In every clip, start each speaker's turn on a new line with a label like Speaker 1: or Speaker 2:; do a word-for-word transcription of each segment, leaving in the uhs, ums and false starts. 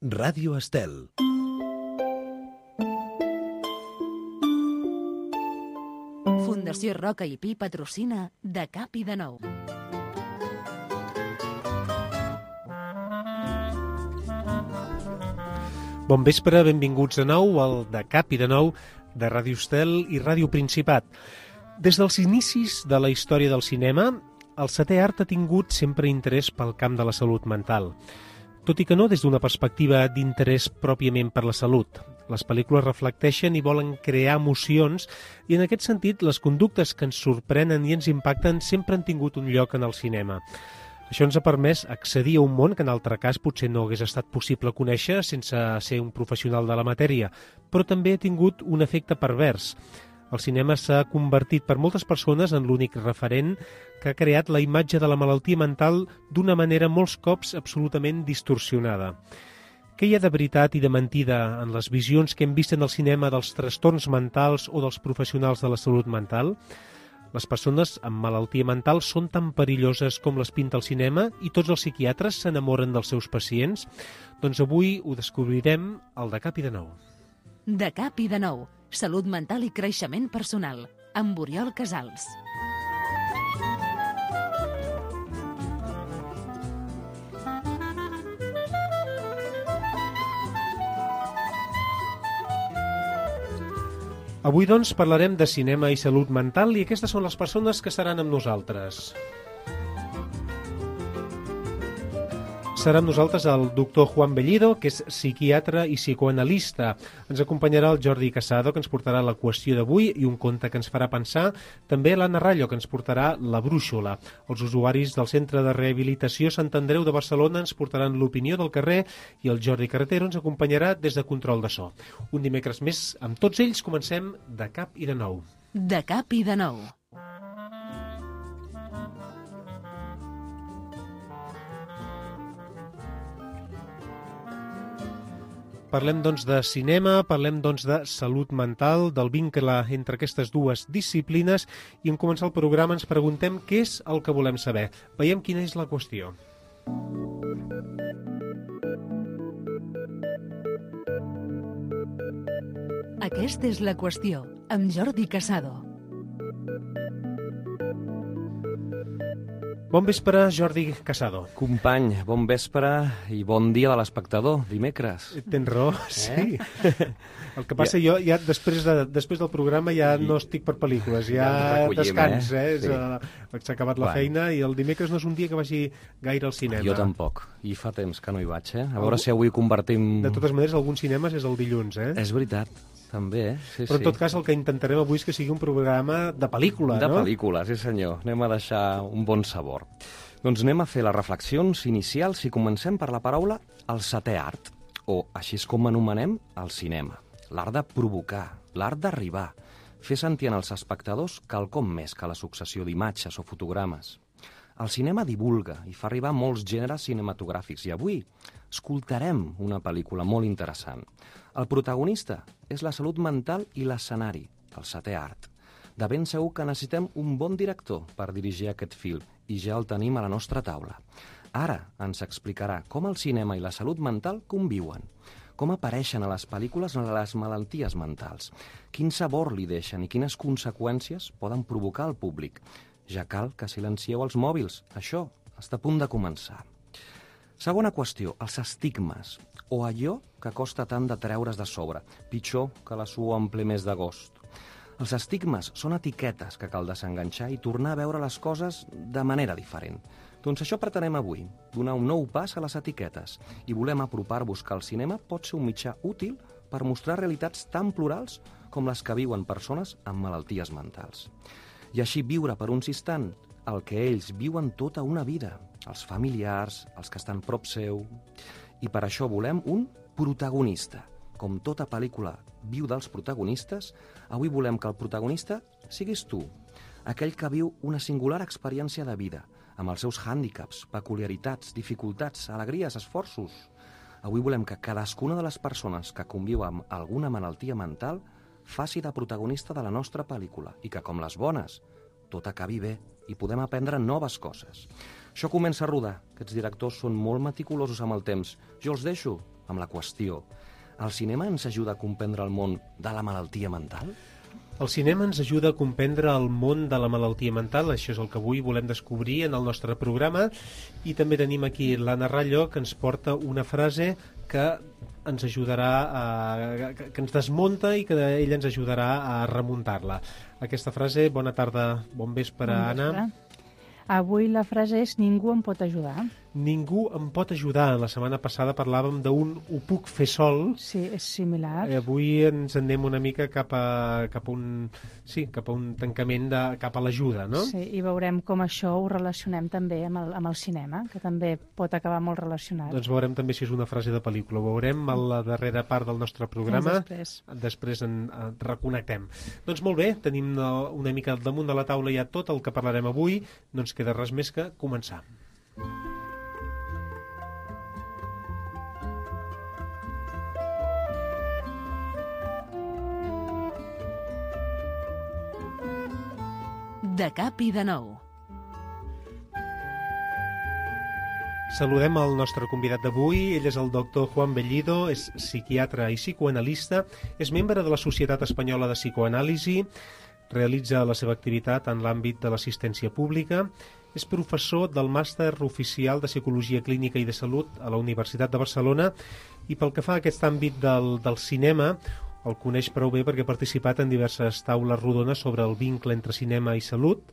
Speaker 1: Ràdio Estel.
Speaker 2: Fundació Roca i Pi patrocina De Cap i de Nou.
Speaker 3: Bon vespre, benvinguts de nou al De Cap i de Nou de Ràdio Estel i Ràdio Principat. Des dels inicis de la història del cinema, el setè art ha tingut sempre interès pel camp de la salut mental. Tot i que no des d'una perspectiva d'interès pròpiament per la salut. Les pel·lícules reflecteixen i volen crear emocions i en aquest sentit les conductes que ens sorprenen i ens impacten sempre han tingut un lloc en el cinema. Això ens ha permès accedir a un món que en altre cas potser no hagués estat possible conèixer sense ser un professional de la matèria, però també ha tingut un efecte pervers. El cinema s'ha convertit per moltes persones en l'únic referent que ha creat la imatge de la malaltia mental d'una manera molts cops absolutament distorsionada. Què hi ha de veritat i de mentida en les visions que hem vist en el cinema dels trastorns mentals o dels professionals de la salut mental? Les persones amb malaltia mental són tan perilloses com les pinta el cinema i tots els psiquiatres s'enamoren dels seus pacients? Doncs avui ho descobrirem al De Cap i de Nou.
Speaker 2: De Cap i de Nou. Salut mental i creixement personal. Amb Oriol Casals.
Speaker 3: Avui, doncs, parlarem de cinema i salut mental i aquestes són les persones que seran amb nosaltres. Serà amb nosaltres el doctor Juan Bellido, que és psiquiatre i psicoanalista. Ens acompanyarà el Jordi Casado, que ens portarà la qüestió d'avui i un conte que ens farà pensar. També l'Anna Rallo, que ens portarà la brúixola. Els usuaris del Centre de Rehabilitació Sant Andreu de Barcelona ens portaran l'opinió del carrer i el Jordi Carretero ens acompanyarà des de control de so. Un dimecres més, amb tots ells, comencem De Cap i de Nou.
Speaker 2: De Cap i de Nou.
Speaker 3: Parlem, doncs, de cinema, parlem, doncs, de salut mental, del vincle entre aquestes dues disciplines i en començar el programa ens preguntem què és el que volem saber. Veiem quina és la qüestió.
Speaker 2: Aquesta és la qüestió, amb Jordi Casado.
Speaker 3: Bon vespre, Jordi Casado.
Speaker 4: Company, bon vespre i bon dia de l'espectador, dimecres.
Speaker 3: Tens raó, sí. Eh? El que passa, ja. jo ja després, de, després del programa ja I... no estic per pel·lícules, ja, ja descans, eh? eh? Sí. Uh, s'ha acabat la bueno. feina i el dimecres no és un dia que vagi gaire al cinema.
Speaker 4: Jo tampoc, i fa temps que no hi vaig, eh? A veure Algú... si avui convertim...
Speaker 3: De totes maneres, alguns cinemes és el dilluns, eh?
Speaker 4: És veritat. També, eh? Sí,
Speaker 3: Però en
Speaker 4: sí.
Speaker 3: tot cas el que intentarem avui és que sigui un programa de pel·lícula,
Speaker 4: de
Speaker 3: no?
Speaker 4: De pel·lícula, sí senyor. Anem a deixar un bon sabor. Doncs anem a fer les reflexions inicials i comencem per la paraula el setè art, o així és com anomenem el cinema. L'art de provocar, l'art d'arribar, fer sentir en els espectadors quelcom més que la successió d'imatges o fotogrames. El cinema divulga i fa arribar molts gèneres cinematogràfics i avui escoltarem una pel·lícula molt interessant. El protagonista és la salut mental i l'escenari, el setè art. De ben segur que necessitem un bon director per dirigir aquest film i ja el tenim a la nostra taula. Ara ens explicarà com el cinema i la salut mental conviuen, com apareixen a les pel·lícules les malalties mentals, quin sabor li deixen i quines conseqüències poden provocar al públic. Ja cal que silencieu els mòbils. Això està a punt de començar. Segona qüestió, els estigmes, o allò que costa tant de treure's de sobre, pitjor que la suor en ple mes d'agost. Els estigmes són etiquetes que cal desenganxar i tornar a veure les coses de manera diferent. Doncs això pretenem avui, donar un nou pas a les etiquetes, i volem apropar-vos que el cinema pot ser un mitjà útil per mostrar realitats tan plurals com les que viuen persones amb malalties mentals. I així viure per uns instants el que ells viuen tota una vida, els familiars, els que estan prop seu. I per això volem un protagonista. Com tota pel·lícula viu dels protagonistes, avui volem que el protagonista siguis tu, aquell que viu una singular experiència de vida, amb els seus hàndicaps, peculiaritats, dificultats, alegries, esforços. Avui volem que cadascuna de les persones que conviu amb alguna malaltia mental faci de protagonista de la nostra pel·lícula i que, com les bones, tot acabi bé i podem aprendre noves coses. Això comença a rodar. Aquests directors són molt meticulosos amb el temps. Jo els deixo amb la qüestió. El cinema ens ajuda a comprendre el món de la malaltia mental?
Speaker 3: El cinema ens ajuda a comprendre el món de la malaltia mental, això és el que avui volem descobrir en el nostre programa, i també tenim aquí l'Anna Rallo, que ens porta una frase que ens ajudarà a, que ens desmunta i que ella ens ajudarà a remuntar-la. Aquesta frase, bona tarda, bon vespre,
Speaker 1: bon vespre.
Speaker 3: Anna.
Speaker 1: Avui la frase és ningú em pot ajudar.
Speaker 3: Ningú em pot ajudar. La setmana passada parlàvem d'un ho puc fer sol.
Speaker 1: Sí, és similar.
Speaker 3: Eh, avui ens anem una mica cap a, cap a un sí, cap a un tancament de, cap a l'ajuda, no?
Speaker 1: Sí, i veurem com això ho relacionem també amb el, amb el cinema, que també pot acabar molt relacionat.
Speaker 3: Doncs veurem també si és una frase de pel·lícula. Ho veurem a la darrera part del nostre programa.
Speaker 1: Després.
Speaker 3: Després en, en reconnectem. Doncs molt bé, tenim una mica al damunt de la taula ja tot el que parlarem avui. No ens queda res més que començar.
Speaker 2: De cap i de nou.
Speaker 3: Saludem el nostre convidat d'avui. Ell és el doctor Juan Bellido, és psiquiatre i psicoanalista, és membre de la Societat Espanyola de Psicoanàlisi, realitza la seva activitat en l'àmbit de l'assistència pública, és professor del Màster Oficial de Psicologia Clínica i de Salut a la Universitat de Barcelona i pel que fa a aquest àmbit del, del cinema, el coneix prou bé perquè ha participat en diverses taules rodones sobre el vincle entre cinema i salut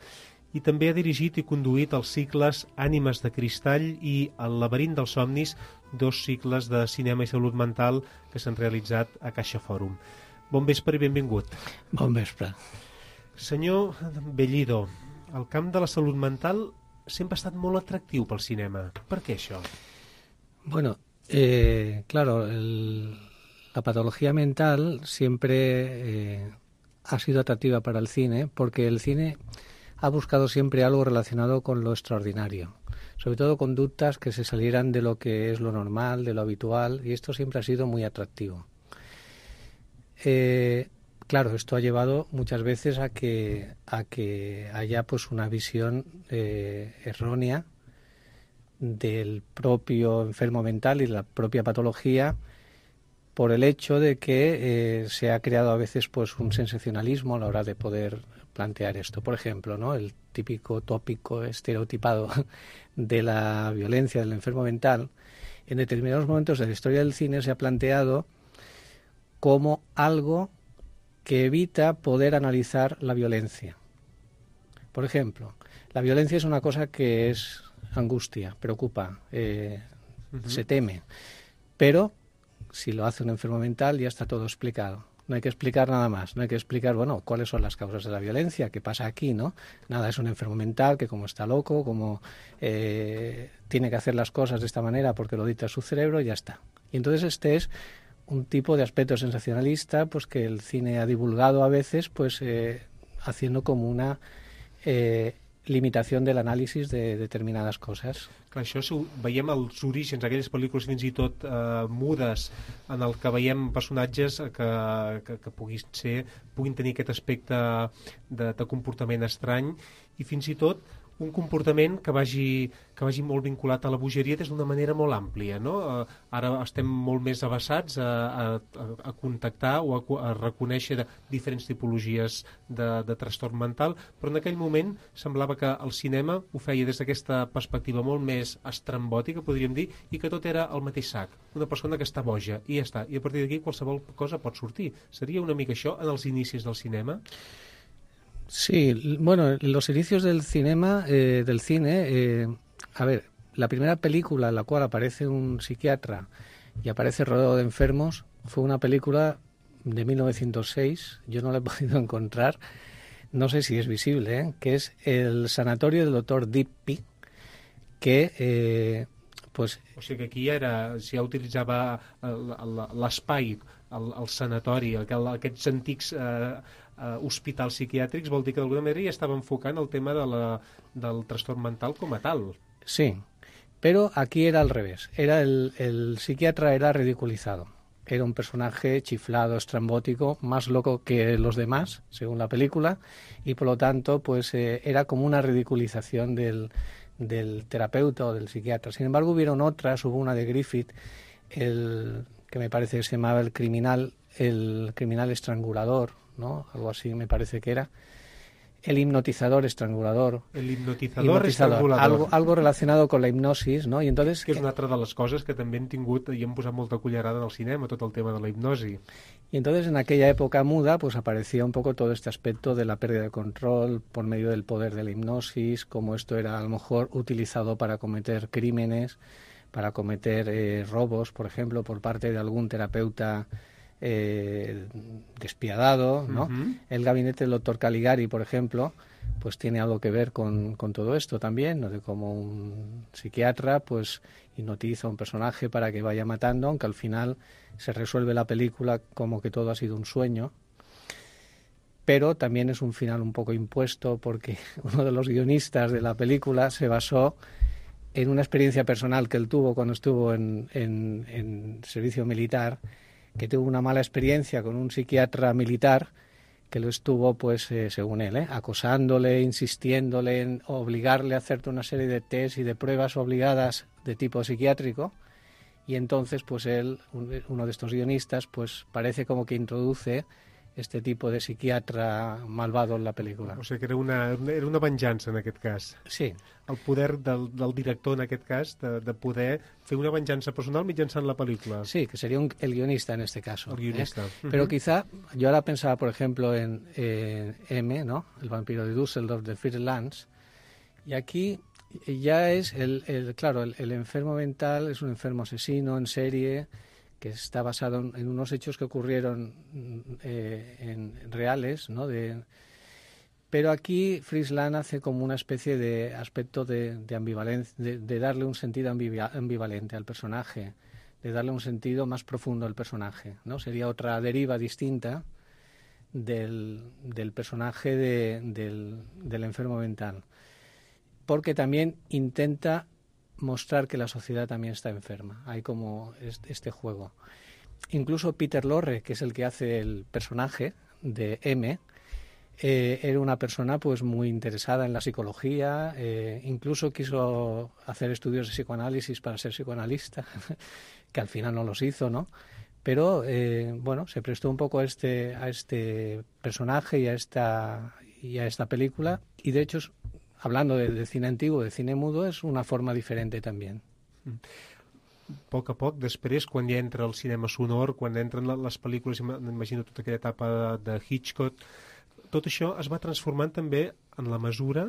Speaker 3: i també ha dirigit i conduït els cicles Ànimes de Cristall i El laberint dels somnis, dos cicles de cinema i salut mental que s'han realitzat a Caixa Fòrum. Bon vespre i benvingut.
Speaker 5: Bon vespre.
Speaker 3: Senyor Bellido, el camp de la salut mental sempre ha estat molt atractiu pel cinema. Per què això?
Speaker 5: Bueno, eh, claro, el, la patología mental siempre eh, ha sido atractiva para el cine porque el cine ha buscado siempre algo relacionado con lo extraordinario, sobre todo conductas que se salieran de lo que es lo normal, de lo habitual, y esto siempre ha sido muy atractivo. Eh, Claro, esto ha llevado muchas veces a que a que haya pues una visión eh, errónea del propio enfermo mental y la propia patología por el hecho de que eh, se ha creado a veces pues un sensacionalismo a la hora de poder plantear esto. Por ejemplo, ¿no? El típico tópico estereotipado de la violencia del enfermo mental, en determinados momentos de la historia del cine se ha planteado como algo que evita poder analizar la violencia. Por ejemplo, la violencia es una cosa que es angustia, preocupa, eh, uh-huh. se teme, pero si lo hace un enfermo mental ya está todo explicado. No hay que explicar nada más, no hay que explicar, bueno, cuáles son las causas de la violencia, qué pasa aquí, ¿no? Nada, es un enfermo mental que como está loco, como eh, tiene que hacer las cosas de esta manera porque lo dicta su cerebro y ya está. Y entonces este es un tipo de aspecto sensacionalista pues que el cine ha divulgado a veces pues eh, haciendo como una eh, limitación del análisis de determinadas coses.
Speaker 3: Clar, això ho veiem als orígens, aquelles pel·lícules fins i tot eh, mudes, en el que veiem personatges que, que, que puguin, ser, puguin tenir aquest aspecte de, de comportament estrany i fins i tot un comportament que vagi, que vagi molt vinculat a la bogeria des d'una manera molt àmplia, no? Eh, ara estem molt més avasats a, a, a contactar o a, a reconèixer diferents tipologies de, de trastorn mental, però en aquell moment semblava que el cinema ho feia des d'aquesta perspectiva molt més estrambòtica, podríem dir, i que tot era el mateix sac. Una persona que està boja, i ja està. I a partir d'aquí qualsevol cosa pot sortir. Seria una mica això en els inicis del cinema?
Speaker 5: Sí, bueno, los inicios del cinema, eh, del cine, eh, a ver, la primera película en la cual aparece un psiquiatra y aparece rodeado de enfermos fue una película de mil novecientos seis, yo no la he podido encontrar, no sé si es visible, ¿eh? Que es El sanatorio del doctor Dippy, que eh, pues...
Speaker 3: O sigui que aquí ja era, si ja utilitzava l'espai, el, el sanatori, aquests antics eh, eh, hospitals psiquiàtrics, vol dir que d'alguna manera ja estava enfocant el tema de la, del trastorn mental com a tal.
Speaker 5: Sí, pero aquí era al revés, era el, el psiquiatra era ridiculizado. Era un personaje chiflado, estrambótico, más loco que los demás, según la película, y por lo tanto pues eh, era como una ridiculización del, del terapeuta o del psiquiatra. Sin embargo, hubieron otras, hubo una de Griffith, el que me parece que se llamaba el criminal, el criminal estrangulador, ¿no? Algo así me parece que era. El hipnotizador estrangulador.
Speaker 3: El hipnotizador,
Speaker 5: hipnotizador
Speaker 3: estrangulador.
Speaker 5: algo, algo relacionado con la hipnosis, ¿no? I entonces,
Speaker 3: que és una altra de les coses que també hem tingut i hem posat molta cullerada en el cinema, tot el tema de la hipnosi.
Speaker 5: Y entonces en aquella época muda pues aparecía un poco todo este aspecto de la pérdida de control por medio del poder de la hipnosis, como esto era a lo mejor utilizado para cometer crímenes, para cometer eh, robos, por ejemplo, por parte de algún terapeuta eh, despiadado, ¿no? Uh-huh. El gabinete del doctor Caligari, por ejemplo, pues tiene algo que ver con, con todo esto también, ¿no? De cómo un psiquiatra pues hipnotiza a un personaje para que vaya matando, aunque al final se resuelve la película como que todo ha sido un sueño. Pero también es un final un poco impuesto porque uno de los guionistas de la película se basó en una experiencia personal que él tuvo cuando estuvo en, en, en servicio militar, que tuvo una mala experiencia con un psiquiatra militar que lo estuvo, pues, eh, según él, eh, acosándole, insistiéndole en obligarle a hacer una serie de test y de pruebas obligadas de tipo psiquiátrico. Y entonces, pues él, uno de estos guionistas, pues parece como que introduce este tipo de psiquiatra malvado en la pel·lícula.
Speaker 3: O sigui que era una, era una venjança en aquest cas.
Speaker 5: Sí.
Speaker 3: El poder del, del director en aquest cas de, de poder fer una venjança personal mitjançant la pel·lícula.
Speaker 5: Sí, que sería un, el guionista en este caso.
Speaker 3: El guionista.
Speaker 5: ¿eh?
Speaker 3: Uh-huh.
Speaker 5: Pero quizá, yo ahora pensaba, por ejemplo, en eh, M, ¿no? El vampiro de Düsseldorf de Fritz Lang, y aquí ya es, el, el claro, el, el enfermo mental es un enfermo asesino en serie que está basado en, en unos hechos que ocurrieron eh, en, en reales, ¿no? De, pero aquí Fritz Lang hace como una especie de aspecto de, de ambivalencia, de, de darle un sentido ambivalente al personaje, de darle un sentido más profundo al personaje, ¿no? Sería otra deriva distinta del, del personaje de, del, del enfermo mental, porque también intenta mostrar que la sociedad también está enferma. Hay como este juego. Incluso Peter Lorre, que es el que hace el personaje de M, eh, era una persona pues muy interesada en la psicología, eh, incluso quiso hacer estudios de psicoanálisis para ser psicoanalista, que al final no los hizo, ¿no? Pero, eh, bueno, se prestó un poco a este, a este personaje y a esta, y a esta película, y de hecho, hablando de, de cine antiguo, de cine mudo, és una forma diferent també.
Speaker 3: A poc a poc, després, quan ja entra el cinema sonor, quan entren les pel·lícules, imagino tota aquella etapa de Hitchcock, tot això es va transformant també en la mesura,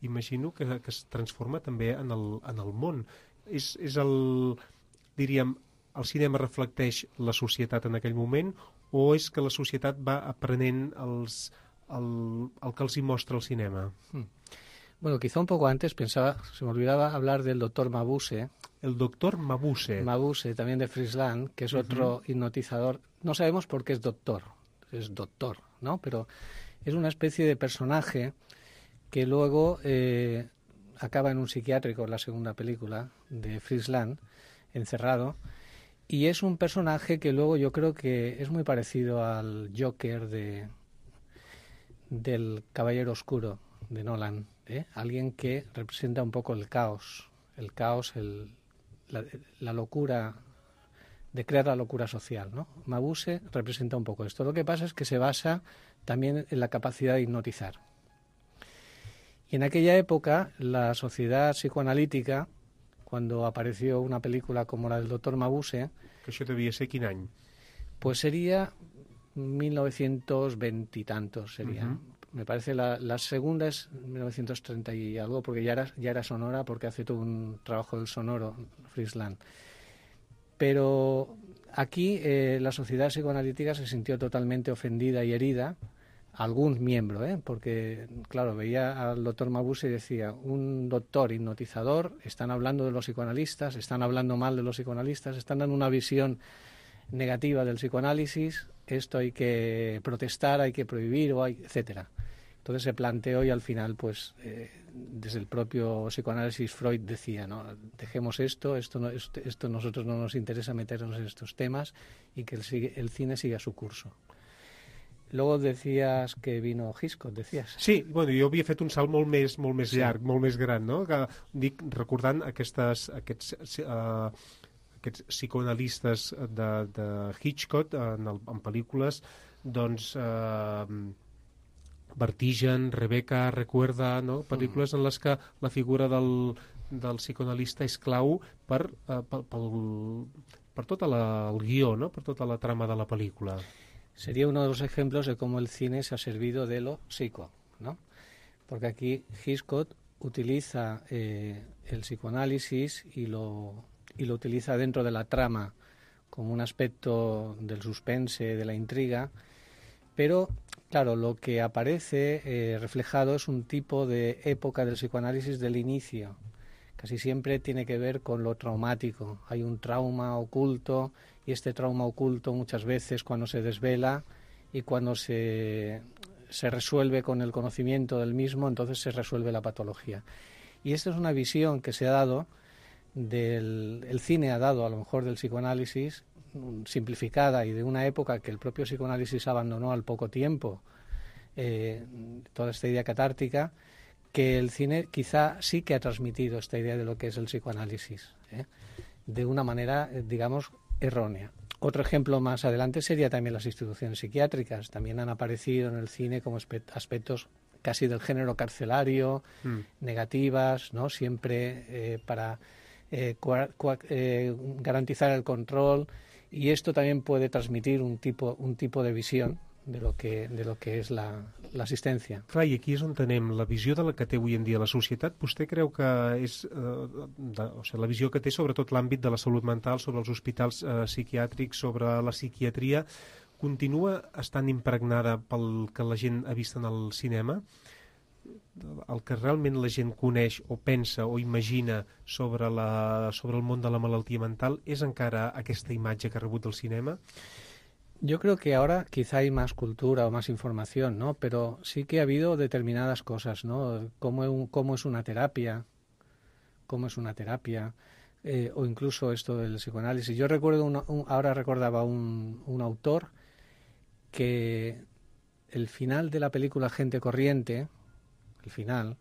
Speaker 3: imagino, que, que es transforma també en el, en el món. És, és el, diríem, el cinema reflecteix la societat en aquell moment, o és que la societat va aprenent els, el, el que els hi mostra el cinema?
Speaker 5: Mm. Bueno, quizá un poco antes pensaba, se me olvidaba hablar del doctor Mabuse.
Speaker 3: El doctor Mabuse.
Speaker 5: Mabuse, también de Fritz Lang, que es otro uh-huh. hipnotizador. No sabemos por qué es doctor, es doctor, ¿no? Pero es una especie de personaje que luego eh, acaba en un psiquiátrico en la segunda película de Fritz Lang, encerrado, y es un personaje que luego yo creo que es muy parecido al Joker de del Caballero Oscuro de Nolan. ¿Eh? Alguien que representa un poco el caos, el caos, el, la, la locura, de crear la locura social, ¿no? Mabuse representa un poco esto. Lo que pasa es que se basa también en la capacidad de hipnotizar. Y en aquella época, la sociedad psicoanalítica, cuando apareció una película como la del doctor Mabuse...
Speaker 3: Que això devia ser quin any?
Speaker 5: Pues sería mil novecientos veinte y tantos, sería... Uh-huh. Me parece la, la segunda es mil novecientos treinta y algo, porque ya era, ya era sonora, porque hace todo un trabajo del sonoro, Fritz Lang. Pero aquí eh, la sociedad psicoanalítica se sintió totalmente ofendida y herida, algún miembro, ¿eh? Porque, claro, veía al doctor Mabuse y decía, un doctor hipnotizador, están hablando de los psicoanalistas, están hablando mal de los psicoanalistas, están dando una visión negativa del psicoanálisis, esto hay que protestar, hay que prohibir, o hay, etcétera. Entonces se planteó y al final, pues, eh, desde el propio psicoanálisis Freud decía, ¿no? Dejemos esto, esto, no, esto, esto nosotros no nos interesa meternos en estos temas y que el, el cine siga su curso. Luego decías que vino Hitchcock, decías.
Speaker 3: Sí, bueno, jo havia fet un salt molt més, molt més
Speaker 5: sí.
Speaker 3: llarg, molt més gran, no? Que, dic, recordant aquestes, aquests, uh, aquests psicoanalistes de, de Hitchcock en, el, en pel·lícules, doncs eh, Vertigen, Rebecca, Recuerda, no? Pel·lícules en les que la figura del, del psicoanalista és clau per, eh, per, per, per tot la, el guió, no? Per tota la trama de la pel·lícula.
Speaker 5: Sería uno de los ejemplos de cómo el cine se ha servido de lo psico, ¿no? Porque aquí Hitchcock utiliza eh, el psicoanálisis y lo, y lo utiliza dentro de la trama como un aspecto del suspense, de la intriga, pero claro, lo que aparece eh, reflejado es un tipo de época del psicoanálisis del inicio. Casi siempre tiene que ver con lo traumático. Hay un trauma oculto y este trauma oculto muchas veces cuando se desvela y cuando se, se resuelve con el conocimiento del mismo, entonces se resuelve la patología. Y esta es una visión que se ha dado, del el cine ha dado a lo mejor del psicoanálisis, simplificada y de una época que el propio psicoanálisis abandonó al poco tiempo, eh, toda esta idea catártica, que el cine quizá sí que ha transmitido esta idea de lo que es el psicoanálisis, ¿eh? de una manera, eh, digamos, errónea. Otro ejemplo más adelante sería también las instituciones psiquiátricas. También han aparecido en el cine como aspectos casi del género carcelario, mm. negativas, ¿no? Siempre eh, para eh, cua, cua, eh, garantizar el control, y esto también puede transmitir un tipo, un tipo de visión de lo que, de lo que és la, l'assistència.
Speaker 3: Clar, i aquí és on tenem la visió de la que té avui en dia la societat. Vostè creu que és eh, de, o sigui, la visió que té sobretot l'àmbit de la salut mental, sobre els hospitals eh, psiquiàtrics, sobre la psiquiatria, continua estant impregnada pel que la gent ha vist en el cinema? El que realment la gent coneix o pensa o imagina sobre, la, sobre el món de la malaltia mental és encara aquesta imatge que ha rebut del cinema?
Speaker 5: Yo creo que ahora quizá hay más cultura o más información, ¿no? Pero sí que ha habido determinadas cosas, ¿no? Cómo, cómo es una terapia, cómo es una terapia, eh, o incluso esto del psicoanálisis. Yo recuerdo, un, un, ahora recordaba un, un autor que el final de la película Gente Corriente, el final,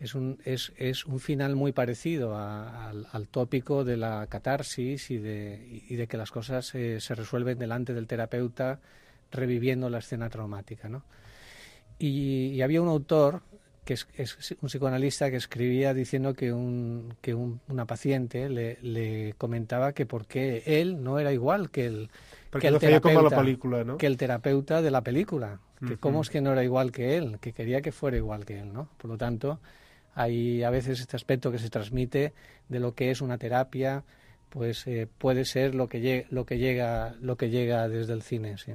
Speaker 5: es un, es, es un final muy parecido a, al, al tópico de la catarsis y de, y de que las cosas eh, se resuelven delante del terapeuta reviviendo la escena traumática, ¿no? Y, y había un autor, que es, es un psicoanalista, que escribía diciendo que, un, que un, una paciente le, le comentaba que por qué él no era igual que el, que el, terapeuta,
Speaker 3: la película, ¿no?
Speaker 5: que el terapeuta de la película, que uh-huh. cómo es que no era igual que él, que quería que fuera igual que él, ¿no? Por lo tanto, hay a veces este aspecto que se transmite de lo que es una terapia, pues eh, puede ser lo que, llega, lo, que llega, lo que llega desde el cine, sí.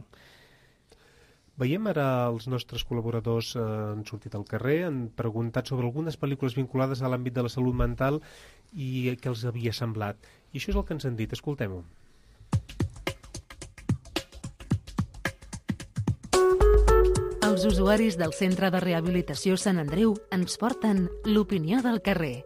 Speaker 3: Veiem ara els nostres col·laboradors eh, han sortit al carrer, han preguntat sobre algunes pel·lícules vinculades a l'àmbit de la salut mental i què els havia semblat. I això és el que ens han dit, escoltem-ho.
Speaker 2: Els usuaris del Centre de Rehabilitació Sant Andreu ens porten l'opinió del carrer.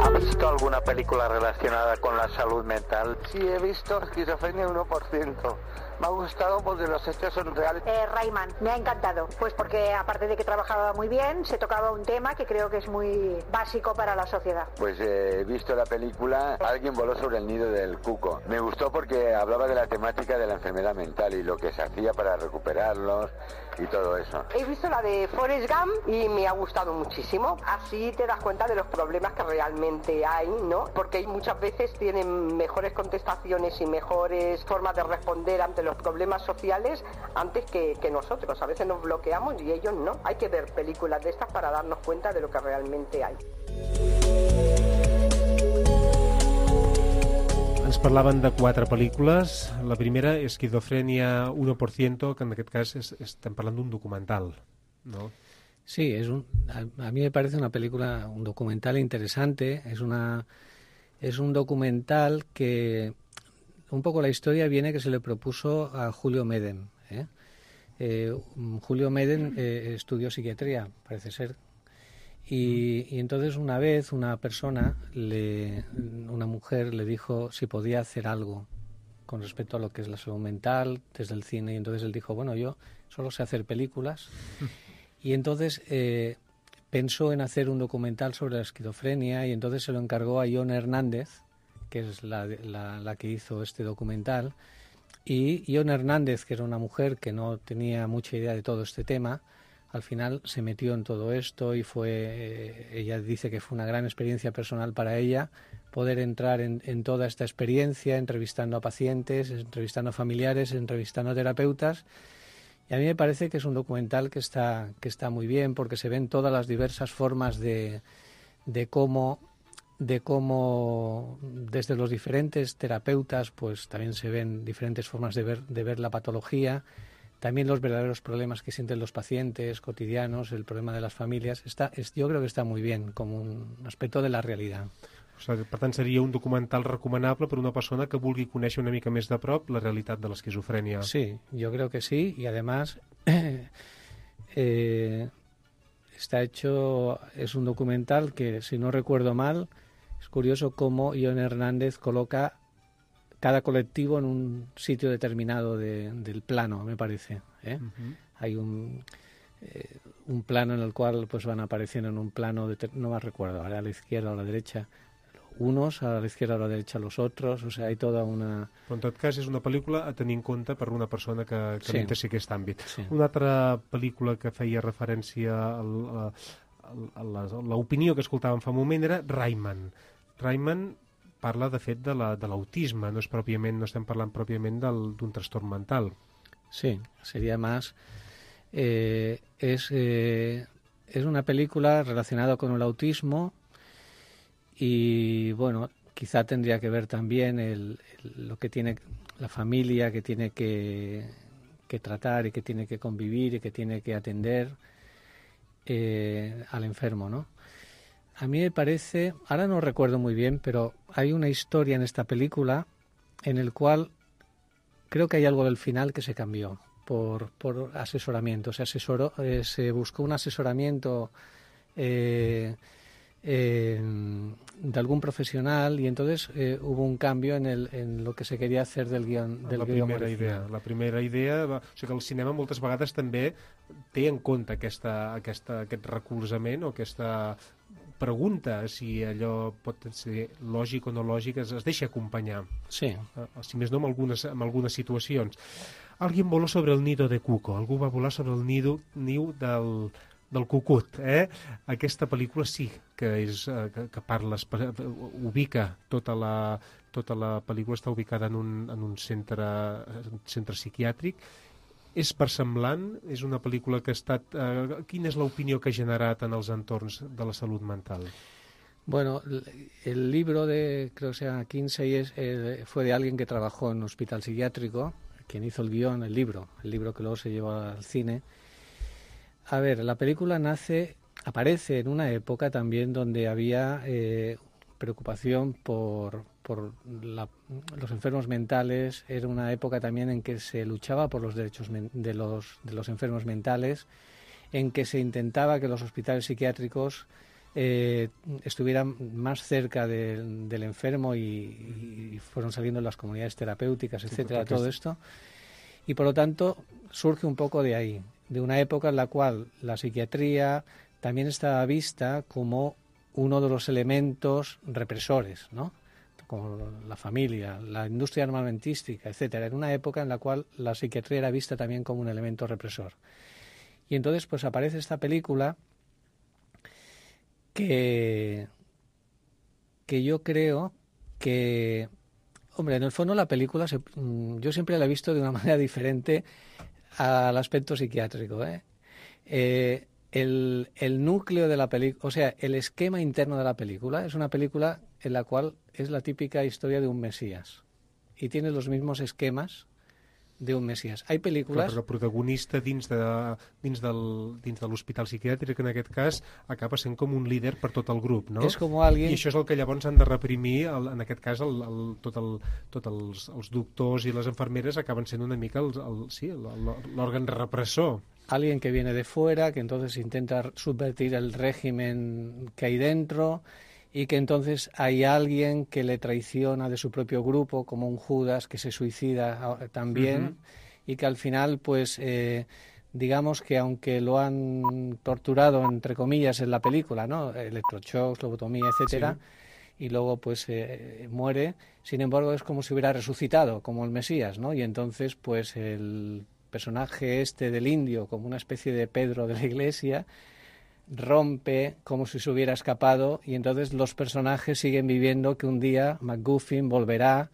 Speaker 6: ¿Ha visto alguna película relacionada con la salud mental? Sí, he visto Esquizofrenia uno por ciento. Me ha gustado porque los hechos son reales.
Speaker 7: Eh, Rayman, me ha encantado, pues porque aparte de que trabajaba muy bien, se tocaba un tema que creo que es muy básico para la sociedad.
Speaker 6: Pues eh, he visto la película Alguien voló sobre el nido del cuco. Me gustó porque hablaba de la temática de la enfermedad mental y lo que se hacía para recuperarlos y todo eso.
Speaker 8: He visto la de Forrest Gump y me ha gustado muchísimo. Así te das cuenta de los problemas que realmente hay, ¿no? Porque muchas veces tienen mejores contestaciones y mejores formas de responder ante los problemas sociales antes que, que nosotros. A veces nos bloqueamos y ellos no. Hay que ver películas de estas para darnos cuenta de lo que realmente hay.
Speaker 3: Ens parlaven de quatre pel·lícules. La primera, Esquizofrenia uno por ciento, que en aquest cas és, estem parlant d'un documental, ¿no?
Speaker 5: Sí, es un, a, a mí me parece una película, un documental interesante. Es una es un documental que un poco la historia viene que se le propuso a Julio Medem. ¿eh? Eh, Julio Medem eh, estudió psiquiatría, parece ser. Y, y entonces una vez una persona, le, una mujer, le dijo si podía hacer algo con respecto a lo que es la salud mental desde el cine. Y entonces él dijo, bueno, yo solo sé hacer películas. Y entonces eh, pensó en hacer un documental sobre la esquizofrenia y entonces se lo encargó a Ione Hernández, que es la, la, la que hizo este documental. Y Ione Hernández, que era una mujer que no tenía mucha idea de todo este tema, al final se metió en todo esto y fue, eh, ella dice que fue una gran experiencia personal para ella poder entrar en, en toda esta experiencia, entrevistando a pacientes, entrevistando a familiares, entrevistando a terapeutas. Y a mí me parece que es un documental que está, que está muy bien porque se ven todas las diversas formas de, de cómo, de cómo desde los diferentes terapeutas pues también se ven diferentes formas de ver, de ver la patología. También los verdaderos problemas que sienten los pacientes cotidianos, el problema de las familias, està, és, jo crec que està muy bien, com un aspecte de la realitat.
Speaker 3: O sigui, per tant, seria un documental recomanable per una persona que vulgui conèixer una mica més de prop la realitat de l'esquizofrènia.
Speaker 5: Sí, yo creo que sí, y además eh, está hecho, es un documental que, si no recuerdo mal, es curioso cómo Ione Hernández coloca cada colectivo en un sitio determinado de, del plano, me parece. ¿eh? Uh-huh. Hay un, eh, un plano en el cual pues van apareciendo en un plano, de, no me recuerdo, ahora a la izquierda o a la derecha, unos, a la izquierda o a la derecha los otros, o sea, hay toda una...
Speaker 3: Però en tot cas és una pel·lícula a tenir en compte per una persona que, que
Speaker 5: sí.
Speaker 3: m'interessi aquest àmbit.
Speaker 5: Sí.
Speaker 3: Una altra pel·lícula que feia referència al, a, a, a l'opinió que escoltàvem fa un moment era Rayman. Rayman parla, de fet, de l'autisme, la, no és pròpiament, no estem parlant pròpiament d'un trastorn mental.
Speaker 5: Sí, sería más... Eh, es, eh, es una película relacionada con el autismo y, bueno, quizá tendría que ver también el, el, lo que tiene la familia, que tiene que, que tratar y que tiene que convivir y que tiene que atender eh, al enfermo, ¿no? A mí me parece, ahora no recuerdo muy bien, pero hay una historia en esta película en el cual creo que hay algo del final que se cambió por, por asesoramiento. Se asesoró, eh, se buscó un asesoramiento eh, eh, de algún profesional y entonces eh, hubo un cambio en, el, en lo que se quería hacer del guión del
Speaker 3: la
Speaker 5: guión
Speaker 3: primera
Speaker 5: original.
Speaker 3: idea. La primera idea, va, o sigui que el cinema moltes vegades també té en compte aquesta, aquesta, aquest recolzament o aquesta pregunta si allò pot ser lògic o no lògic, es, es deixa acompanyar.
Speaker 5: Sí.
Speaker 3: Uh, si més no, en algunes, en algunes situacions. Alguien voló sobre el nido de Cuco. Algú va volar sobre el nido, niu del, del cucut. Eh? Aquesta pel·lícula sí que, és, uh, que, que parla, ubica tota la, tota la pel·lícula, està ubicada en un, en un centre, un centre psiquiàtric. És versemblant? És una pel·lícula que ha estat... Eh, quina és l'opinió que ha generat en els entorns de la salut mental?
Speaker 5: Bueno, el libro de, creo que se llama Kinsey, es, eh, fue de alguien que trabajó en un hospital psiquiátrico, quien hizo el guión, el libro, el libro que luego se llevó al cine. A ver, la película nace, aparece en una época también donde había eh, preocupación por... por la, los enfermos mentales. Era una época también en que se luchaba por los derechos de los, de los enfermos mentales, en que se intentaba que los hospitales psiquiátricos eh, estuvieran más cerca de, del enfermo y, y fueron saliendo las comunidades terapéuticas, etcétera, todo esto. Y por lo tanto surge un poco de ahí, de una época en la cual la psiquiatría también estaba vista como uno de los elementos represores, ¿no? Como la familia, la industria armamentística, etcétera, en una época en la cual la psiquiatría era vista también como un elemento represor. Y entonces pues aparece esta película que, que yo creo que, hombre, en el fondo la película se, yo siempre la he visto de una manera diferente al aspecto psiquiátrico, ¿eh? Eh, el, el núcleo de la película, o sea, el esquema interno de la película es una película en la cual es la típica historia de un Mesías y tiene los mismos esquemas de un Mesías. Hay pel·lícules...
Speaker 3: Però el protagonista dins de, dins del, dins de l'hospital psiquiàtric, en aquest cas, acaba sent com un líder per tot el grup, no?
Speaker 5: És com alguien...
Speaker 3: I això és el que llavors han de reprimir, el, en aquest cas, el, el, tot, el, tot els, els doctors i les infermeres acaben sent una mica el, el, sí, l'òrgan repressor.
Speaker 5: Alguien que viene de fuera, que entonces intenta subvertir el régimen que hay dentro... y que entonces hay alguien que le traiciona de su propio grupo, como un Judas que se suicida también, uh-huh. y que al final pues eh, digamos que aunque lo han torturado, entre comillas, en la película, ¿no? Electroshocks, lobotomía, etcétera, sí. Y luego pues eh, muere, sin embargo es como si hubiera resucitado, como el Mesías, ¿no? Y entonces pues el personaje este del indio, como una especie de Pedro de la Iglesia, rompe como si se hubiera escapado, y entonces los personajes siguen viviendo que un día MacGuffin volverá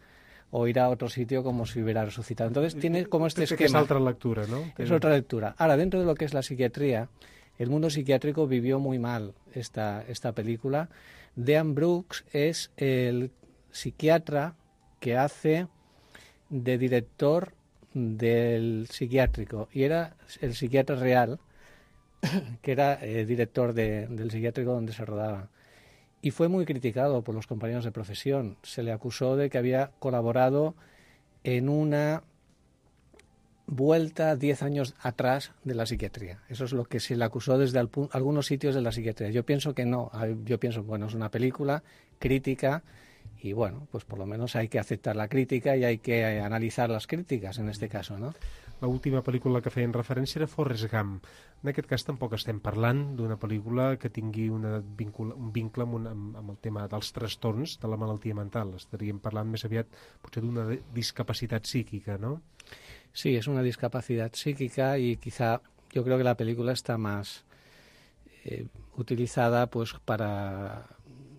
Speaker 5: o irá a otro sitio como si hubiera resucitado. Entonces tiene como este esquema.
Speaker 3: Es otra lectura, ¿no?
Speaker 5: Es otra lectura. Ahora, dentro de lo que es la psiquiatría, el mundo psiquiátrico vivió muy mal esta, esta película. Dean Brooks es el psiquiatra que hace de director del psiquiátrico, y era el psiquiatra real, que era eh, director de, del psiquiátrico donde se rodaba. Y fue muy criticado por los compañeros de profesión. Se le acusó de que había colaborado en una vuelta diez años atrás de la psiquiatría. Eso es lo que se le acusó desde al, algunos sitios de la psiquiatría. Yo pienso que no. Yo pienso, bueno, es una película crítica y, bueno, pues por lo menos hay que aceptar la crítica y hay que analizar las críticas en este caso, ¿no?
Speaker 3: L'última pel·lícula que feien referència era Forrest Gump. En aquest cas tampoc estem parlant d'una pel·lícula que tingui una vincula, un vincle amb, un, amb, amb el tema dels trastorns de la malaltia mental. Estaríem parlant més aviat potser d'una discapacitat psíquica, ¿no?
Speaker 5: Sí, es una discapacidad psíquica y quizá yo creo que la película está más eh, utilizada pues para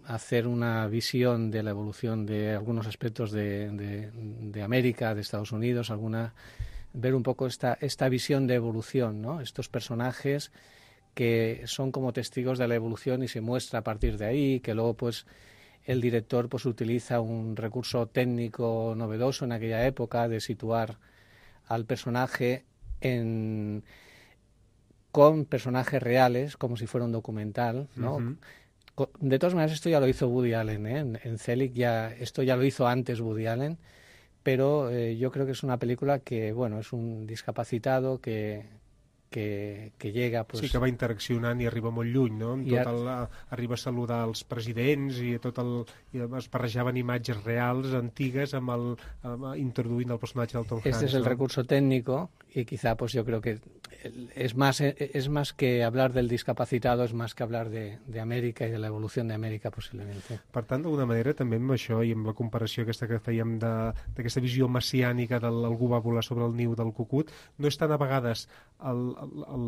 Speaker 5: hacer una visión de la evolución de algunos aspectos de, de, de América, de Estados Unidos, alguna ver un poco esta, esta visión de evolución, ¿no? Estos personajes que son como testigos de la evolución y se muestra a partir de ahí, que luego pues el director pues utiliza un recurso técnico novedoso en aquella época de situar al personaje en, con personajes reales, como si fuera un documental, ¿no? Uh-huh. De todas maneras, esto ya lo hizo Woody Allen, ¿eh? En, en Zelig ya, esto ya lo hizo antes Woody Allen, pero eh, yo creo que es una película que, bueno, es un discapacitado que, que, que llega... Pues,
Speaker 3: sí, que va interaccionant i arriba molt lluny, no? Amb tot el, arriba a saludar els presidents i, tot el, i es barrejaven imatges reals, antigues, amb el, amb, introduint el personatge del Tom Hanks.
Speaker 5: Este es el
Speaker 3: ¿no?
Speaker 5: recurso técnico y quizá pues yo creo que es más, es más que hablar del discapacitado, es más que hablar de, de América y de la evolución de América posiblemente.
Speaker 3: Per tant, d'alguna manera, també amb això i amb la comparació aquesta que fèiem d'aquesta visió messiànica del algú va volar sobre el niu del cucut, no és tant a vegades el, el, el,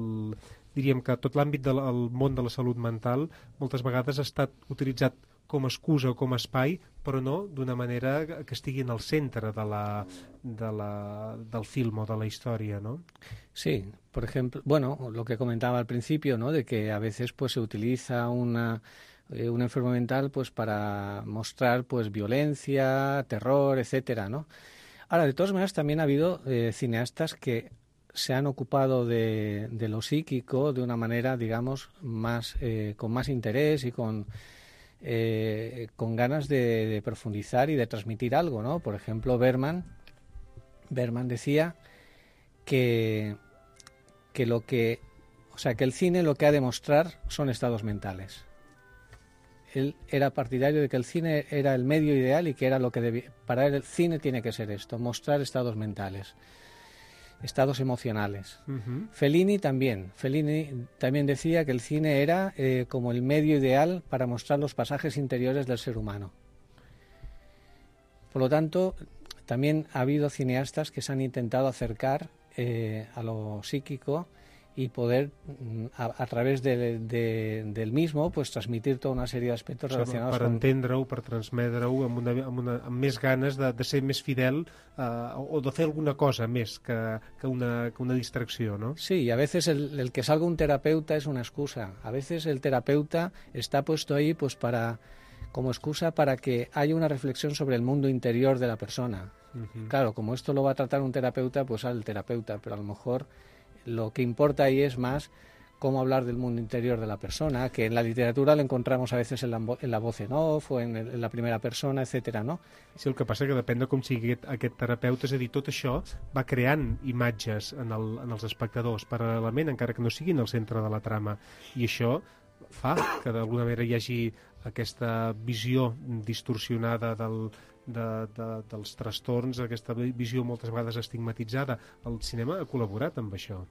Speaker 3: diríem que tot l'àmbit del el món de la salut mental moltes vegades ha estat utilitzat com a excusa o com a espai, però no d'una manera que estigui en el centre de la, de la, del film o de la història, ¿no?
Speaker 5: Sí, por ejemplo, bueno, lo que comentaba al principio, ¿no? De que a veces pues se utiliza una, eh, un enfermo mental pues para mostrar pues violencia, terror, etcétera, ¿no? Ahora, de todas maneras, también ha habido eh, cineastas que se han ocupado de, de lo psíquico de una manera, digamos, más eh, con más interés y con Eh, con ganas de, de profundizar y de transmitir algo, ¿no? Por ejemplo, Bergman, Bergman decía que, que lo que, o sea, que el cine lo que ha de mostrar son estados mentales. Él era partidario de que el cine era el medio ideal y que era lo que debía, para él el cine tiene que ser esto, mostrar estados mentales, estados emocionales. Uh-huh. Fellini también. Fellini también decía que el cine era eh, como el medio ideal para mostrar los pasajes interiores del ser humano. Por lo tanto, también ha habido cineastas que se han intentado acercar eh, a lo psíquico y poder, a, a través de, de, del mismo, pues transmitir toda una serie de aspectos relacionados
Speaker 3: per
Speaker 5: con...
Speaker 3: Per entendre-ho, per transmetre-ho amb, una, amb, una, amb més ganes de, de ser més fidel uh, o de fer alguna cosa més que, que, una, que una distracció, ¿no?
Speaker 5: Sí, y a veces el, el que salga un terapeuta es una excusa. A veces el terapeuta está puesto ahí pues para como excusa para que haya una reflexión sobre el mundo interior de la persona. Uh-huh. Claro, como esto lo va a tratar un terapeuta, pues al terapeuta, pero a lo mejor lo que importa ahí es más cómo hablar del mundo interior de la persona, que en la literatura lo encontramos a veces en la, en la voz en off o en, el, en la primera persona, etcètera, no?
Speaker 3: Sí, el que passa que depèn de com sigui aquest, aquest terapeuta, és a dir, tot això va creant imatges en, el, en els espectadors paral·lelament, encara que no siguin el centre de la trama, i això fa que d'alguna manera hi hagi aquesta visió distorsionada del, de, de, dels trastorns, aquesta visió moltes vegades estigmatitzada. El cinema ha col·laborat amb això.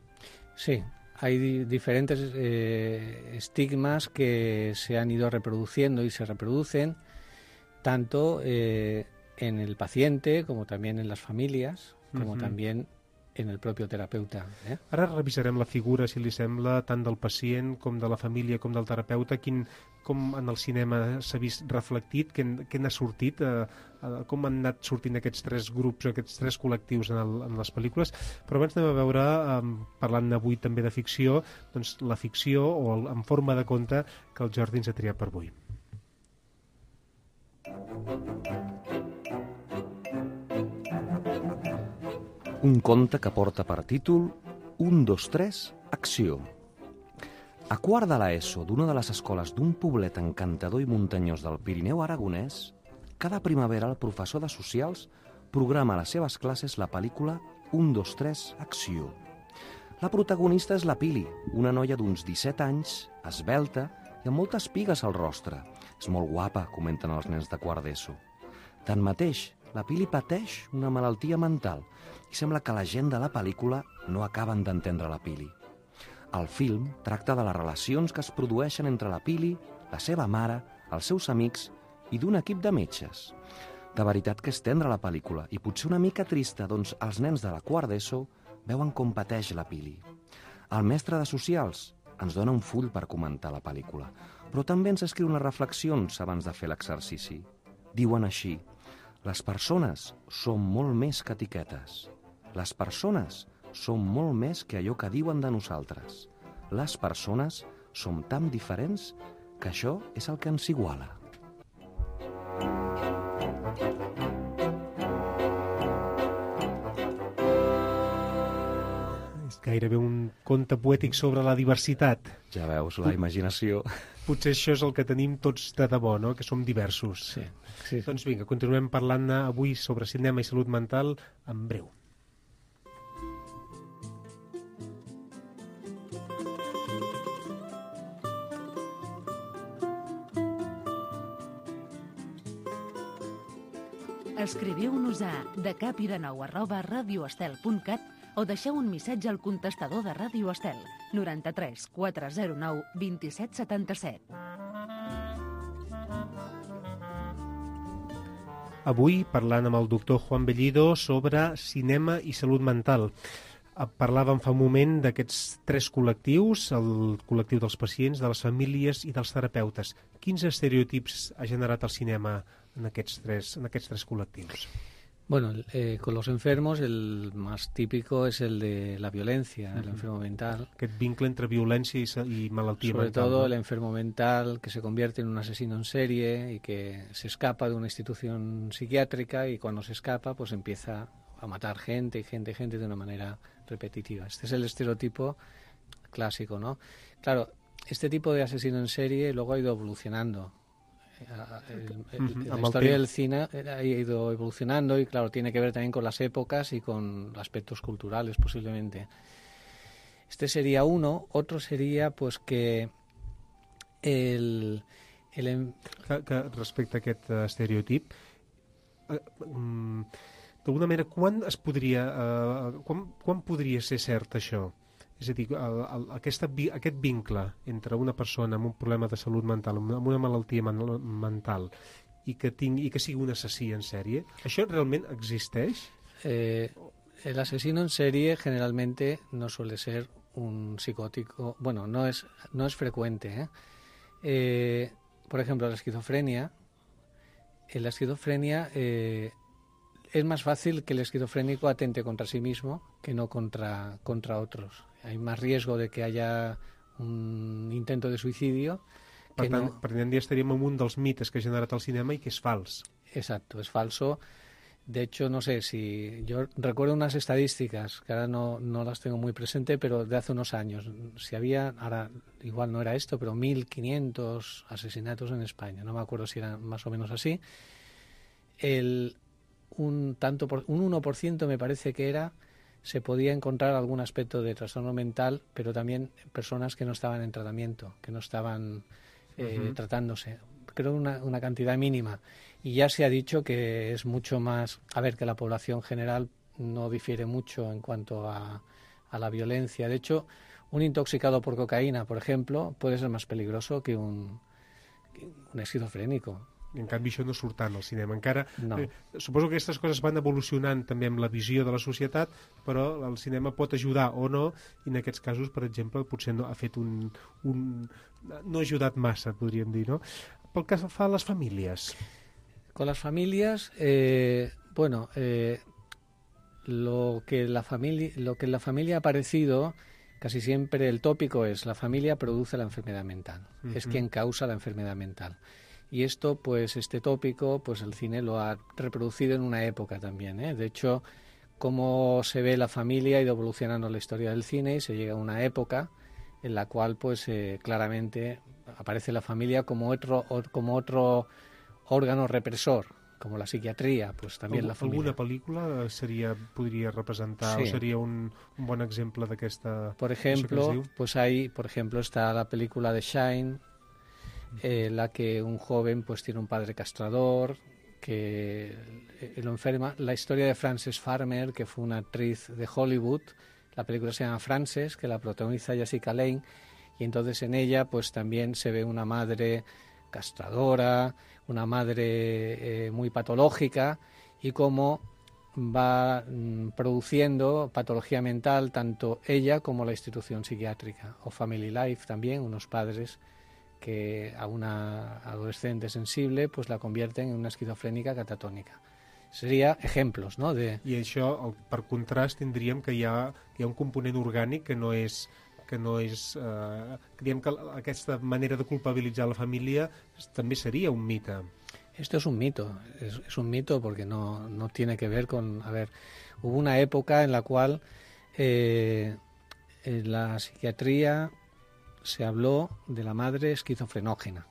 Speaker 5: Sí, hay di- diferentes eh, estigmas que se han ido reproduciendo y se reproducen tanto eh, en el paciente como también en las familias, como
Speaker 3: Uh-huh.
Speaker 5: también en el propio terapeuta. Eh?
Speaker 3: Ara revisarem la figura, si li sembla, tant del pacient com de la família com del terapeuta, quin, com en el cinema s'ha vist reflectit, què, què n'ha sortit, eh, eh, com han anat sortint aquests tres grups, aquests tres col·lectius en, el, en les pel·lícules. Però abans anem a veure, eh, parlant avui també de ficció, doncs la ficció o el, en forma de conte que el Jordi ens ha triat per avui.
Speaker 4: Un conte que porta per títol un, dos, tres, acció. A quart de l'ESO d'una de les escoles d'un poblet encantador i muntanyós del Pirineu aragonès, cada primavera el professor de socials programa a les seves classes la pel·lícula un, dos, tres, acció. La protagonista és la Pili, una noia d'uns disset anys, esvelta i amb moltes pigues al rostre. És molt guapa, comenten els nens de quart d'ESO. Tanmateix, la Pili pateix una malaltia mental i sembla que la gent de la pel·lícula no acaben d'entendre la Pili. El film tracta de les relacions que es produeixen entre la Pili, la seva mare, els seus amics i d'un equip de metges. De veritat que és tendra la pel·lícula i potser una mica trista, doncs els nens de la quart d'ESO veuen com pateix la Pili. El mestre de socials ens dona un full per comentar la pel·lícula, però també ens escriu unes reflexions abans de fer l'exercici. Diuen així: les persones són molt més que etiquetes. Les persones són molt més que allò que diuen de nosaltres. Les persones som tan diferents que això és el que ens iguala.
Speaker 3: És gairebé un conte poètic sobre la diversitat.
Speaker 4: Ja veus, la imaginació...
Speaker 3: Potser això és el que tenim tots de debò, no? Que som diversos.
Speaker 5: Sí, sí.
Speaker 3: Doncs vinga, continuem parlant avui sobre cinema i salut mental en breu.
Speaker 2: Escriviu-nos a decapidenou arroba radioestel punt cat o deixeu un missatge al contestador de Ràdio Estel, noranta-tres quatre zero nou vint-i-set setanta-set.
Speaker 3: Avui parlant amb el doctor Juan Bellido sobre cinema i salut mental. Parlàvem fa un moment d'aquests tres col·lectius, el col·lectiu dels pacients, de les famílies i dels terapeutes. Quins estereotips ha generat el cinema en aquests tres, en aquests tres col·lectius?
Speaker 5: Bueno, eh, con los enfermos el más típico es el de la violencia, el enfermo mental.
Speaker 3: Aquest vincle entre violència i, i malaltia
Speaker 5: Sobre
Speaker 3: mental.
Speaker 5: todo
Speaker 3: ¿no?
Speaker 5: el enfermo mental que se convierte en un asesino en serie y que se escapa de una institución psiquiátrica y cuando se escapa pues empieza a matar gente y gente y gente de una manera repetitiva. Este es el estereotipo clásico, ¿no? Claro, este tipo de asesino en serie luego ha ido evolucionando. El, el, la historia del cine ha ido evolucionando y claro, tiene que ver también con las épocas y con aspectos culturales posiblemente. Este sería uno. Otro sería pues que el... el...
Speaker 3: Que, que respecte a aquest uh, estereotip, uh, um, d'alguna manera, quan es podria, uh, quan, quan podria ser cert això? És a dir, el, el, aquesta, aquest vincle entre una persona amb un problema de salut mental, amb una malaltia man, mental, i que, tingui, i que sigui un assassí en sèrie, ¿això realment existeix?
Speaker 5: Eh, el asesino en serie generalmente no suele ser un psicótico, bueno, no es, no es frecuente. ¿eh? Eh, por ejemplo, la esquizofrenia, en la esquizofrenia eh, es más fácil que el esquizofrénico atente contra sí mismo que no contra, contra otros. Hay más riesgo de que haya un intento de suicidio.
Speaker 3: Per
Speaker 5: que
Speaker 3: tant,
Speaker 5: no...
Speaker 3: per tant, ja estaríem en un dels mites que ha generat el cinema i que és fals.
Speaker 5: Exacto, es falso. De hecho, no sé si... Yo recuerdo unas estadísticas, que ahora no, no las tengo muy presente, pero de hace unos años. Si había, ahora igual no era esto, pero mil quinientos asesinatos en España. No me acuerdo si era más o menos así. El, un, tanto por, un uno por ciento me parece que era... se podía encontrar algún aspecto de trastorno mental, pero también personas que no estaban en tratamiento, que no estaban eh, uh-huh. tratándose. Creo una, una cantidad mínima. Y ya se ha dicho que es mucho más... A ver, que la población general no difiere mucho en cuanto a, a la violencia. De hecho, un intoxicado por cocaína, por ejemplo, puede ser más peligroso que un, que un esquizofrènico.
Speaker 3: En canvi, això no surt tant al cinema. Encara,
Speaker 5: no.
Speaker 3: eh, suposo que aquestes coses van evolucionant també amb la visió de la societat, però el cinema pot ajudar o no, i en aquests casos, per exemple, potser no ha fet un... un no ha ajudat massa, podríem dir, no? Pel que fa a les famílies.
Speaker 5: Con las familias, eh, bueno, eh, lo que la familia, lo que en la familia ha aparecido, casi siempre el tópico es la familia produce la enfermedad mental, uh-huh. es quien causa la enfermedad mental. Y esto, pues este tópico, pues el cine lo ha reproducido en una época también, ¿eh? De hecho, cómo se ve la familia ha ido evolucionando la historia del cine y se llega a una época en la cual, pues eh, claramente aparece la familia como otro, o, como otro órgano represor, como la psiquiatría, pues también la familia.
Speaker 3: ¿Alguna película sería, podría representar sí. o sería un, un buen ejemplo de esta?
Speaker 5: Por ejemplo, pues hay, por ejemplo, está la película de Shine, eh, la que un joven pues tiene un padre castrador que eh, lo enferma. La historia de Frances Farmer, que fue una actriz de Hollywood. La película se llama Frances, que la protagoniza Jessica Lange, y entonces en ella pues también se ve una madre castradora, una madre eh, muy patológica, y cómo va mm, produciendo patología mental tanto ella como la institución psiquiátrica. O Family Life también, unos padres que a una adolescente sensible pues la convierten en una esquizofrénica catatónica. Seria ejemplos, no? De...
Speaker 3: I això, per contrast, tindríem que hi ha, hi ha un component orgànic que no és... que no és eh, diguem que aquesta manera de culpabilitzar la família també seria un mite.
Speaker 5: Esto es un mito, es, es un mito porque no, no tiene que ver con... A ver, hubo una época en la cual eh, en la psiquiatría se habló de la madre esquizofrenógena.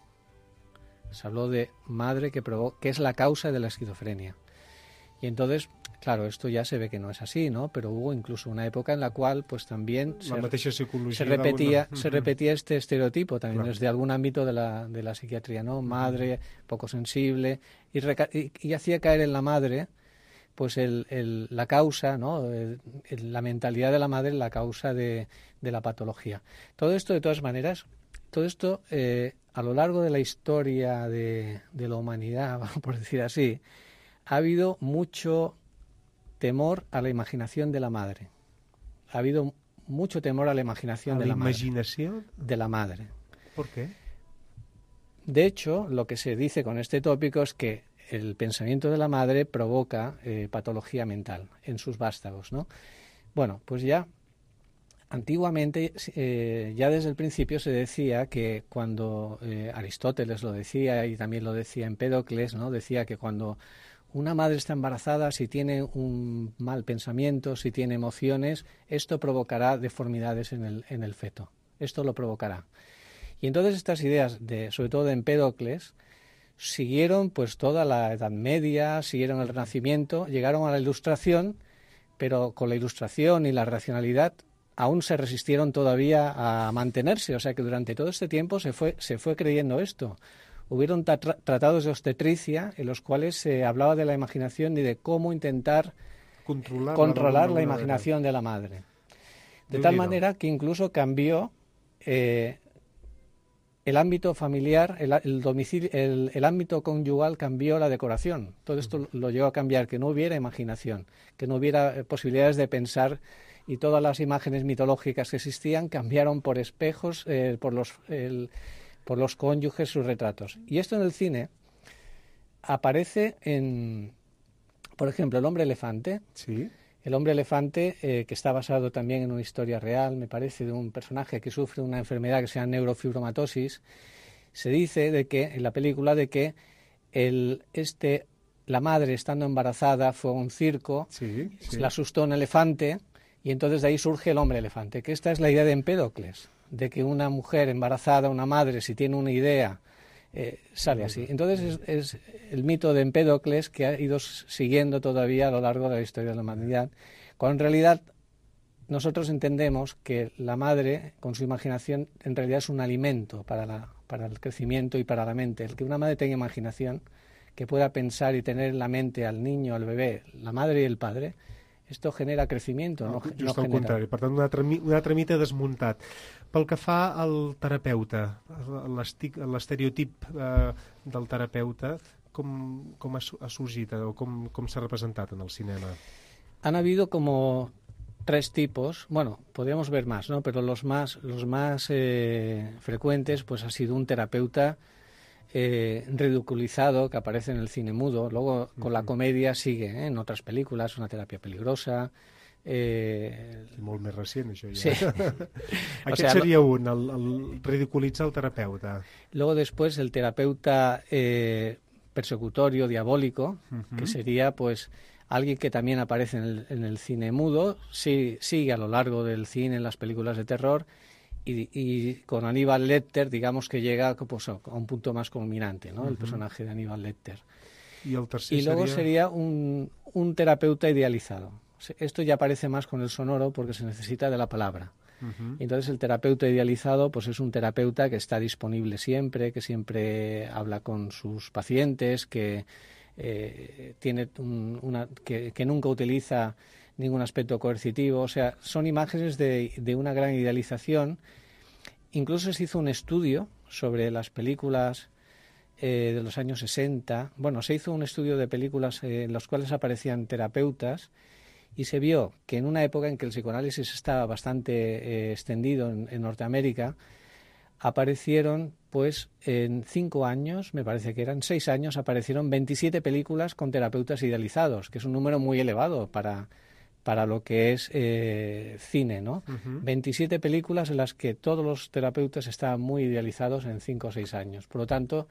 Speaker 5: Se habló de madre que provoca, que es la causa de la esquizofrenia. Y entonces, claro, esto ya se ve que no es así, ¿no? Pero hubo incluso una época en la cual, pues también se, se repetía, se repetía este estereotipo también claro. desde algún ámbito de la, de la psiquiatría, ¿no? Madre poco sensible y, reca y, y hacía caer en la madre, pues el, el, la causa, ¿no? El, el, la mentalidad de la madre, la causa de, de la patología. Todo esto, de todas maneras, todo esto eh, a lo largo de la historia de, de la humanidad, por decir así, ha habido mucho temor a la imaginación de la madre. Ha habido mucho temor a la imaginación
Speaker 3: ¿A
Speaker 5: de
Speaker 3: la,
Speaker 5: la madre.
Speaker 3: imaginación?
Speaker 5: De la madre.
Speaker 3: ¿Por qué?
Speaker 5: De hecho, lo que se dice con este tópico es que el pensamiento de la madre provoca eh, patología mental en sus vástagos, ¿no? Bueno, pues ya antiguamente, eh, ya desde el principio se decía que cuando eh, Aristóteles lo decía y también lo decía Empédocles, ¿no? Decía que cuando una madre está embarazada, si tiene un mal pensamiento, si tiene emociones, esto provocará deformidades en el, en el feto. Esto lo provocará. Y entonces estas ideas, de, sobre todo de Empédocles, siguieron pues toda la Edad Media, siguieron el Renacimiento, llegaron a la Ilustración, pero con la Ilustración y la racionalidad aún se resistieron todavía a mantenerse. O sea que durante todo este tiempo se fue, se fue creyendo esto. Hubieron tra tratados de obstetricia en los cuales se hablaba de la imaginación y de cómo intentar
Speaker 3: controlar,
Speaker 5: controlar la, la imaginación de la madre. De tal manera que incluso cambió eh, el ámbito familiar, el, el domicilio, el, el ámbito conyugal cambió la decoración. Todo esto lo llevó a cambiar, que no hubiera imaginación, que no hubiera eh, posibilidades de pensar, y todas las imágenes mitológicas que existían cambiaron por espejos, eh, por los... El, por los cónyuges, sus retratos. Y esto en el cine aparece en, por ejemplo, El hombre elefante.
Speaker 3: Sí.
Speaker 5: El hombre elefante, eh, que está basado también en una historia real, me parece, de un personaje que sufre una enfermedad que se llama neurofibromatosis. Se dice de que, en la película, de que el, este, la madre, estando embarazada, fue a un circo,
Speaker 3: sí, sí.
Speaker 5: se le asustó un elefante, y entonces de ahí surge el hombre elefante, que esta es la idea de Empédocles, de que una mujer embarazada, una madre, si tiene una idea, eh, sale así. Entonces es, es el mito de Empédocles que ha ido siguiendo todavía a lo largo de la historia de la humanidad, cuando en realidad nosotros entendemos que la madre, con su imaginación, en realidad es un alimento para, la, para el crecimiento y para la mente. El que una madre tenga imaginación, que pueda pensar y tener en la mente al niño, al bebé, la madre y el padre, Esto genera crecimiento, no,
Speaker 3: Just
Speaker 5: no
Speaker 3: al
Speaker 5: genera...
Speaker 3: contrari, per tant, un altre, un altre mite desmuntat. Pel que fa al terapeuta, l'estereotip eh, del terapeuta, com, com ha, ha sorgit o com, com s'ha representat en el cinema?
Speaker 5: Han habido como tres tipos, bueno, podríamos ver más, ¿no? Pero los más, los más eh, frecuentes, pues ha sido un terapeuta eh, ridiculizado que aparece en el cine mudo. Luego con la comedia sigue, ¿eh? En otras películas, Una terapia peligrosa. Eh...
Speaker 3: Molt més recient, això ja.
Speaker 5: Sí.
Speaker 3: Aquest
Speaker 5: o sea,
Speaker 3: seria un, el, el ridiculitzar el terapeuta.
Speaker 5: Luego después el terapeuta eh, persecutorio, diabólico, uh-huh. que sería pues alguien que también aparece en el, en el cine mudo, sí, sigue a lo largo del cine en las películas de terror, y, y con Aníbal Lecter, digamos que llega pues, a un punto más culminante, ¿no? Uh-huh. El personaje de Aníbal Lecter.
Speaker 3: Y, el tercer
Speaker 5: y luego
Speaker 3: sería,
Speaker 5: sería un, un terapeuta idealizado. Esto ya aparece más con el sonoro porque se necesita de la palabra. Uh-huh. Entonces el terapeuta idealizado pues es un terapeuta que está disponible siempre, que siempre habla con sus pacientes, que eh, tiene un, una, que, que nunca utiliza ningún aspecto coercitivo. O sea, son imágenes de, de una gran idealización. Incluso se hizo un estudio sobre las películas eh, de los años sesenta. Bueno, se hizo un estudio de películas eh, en las cuales aparecían terapeutas, y se vio que en una época en que el psicoanálisis estaba bastante eh, extendido en, en Norteamérica, aparecieron, pues, en cinco años, me parece que eran seis años, aparecieron veintisiete películas con terapeutas idealizados, que es un número muy elevado para, para lo que es eh, cine, ¿no? Uh-huh. veintisiete películas en las que todos los terapeutas estaban muy idealizados en cinco o seis años. Por lo tanto,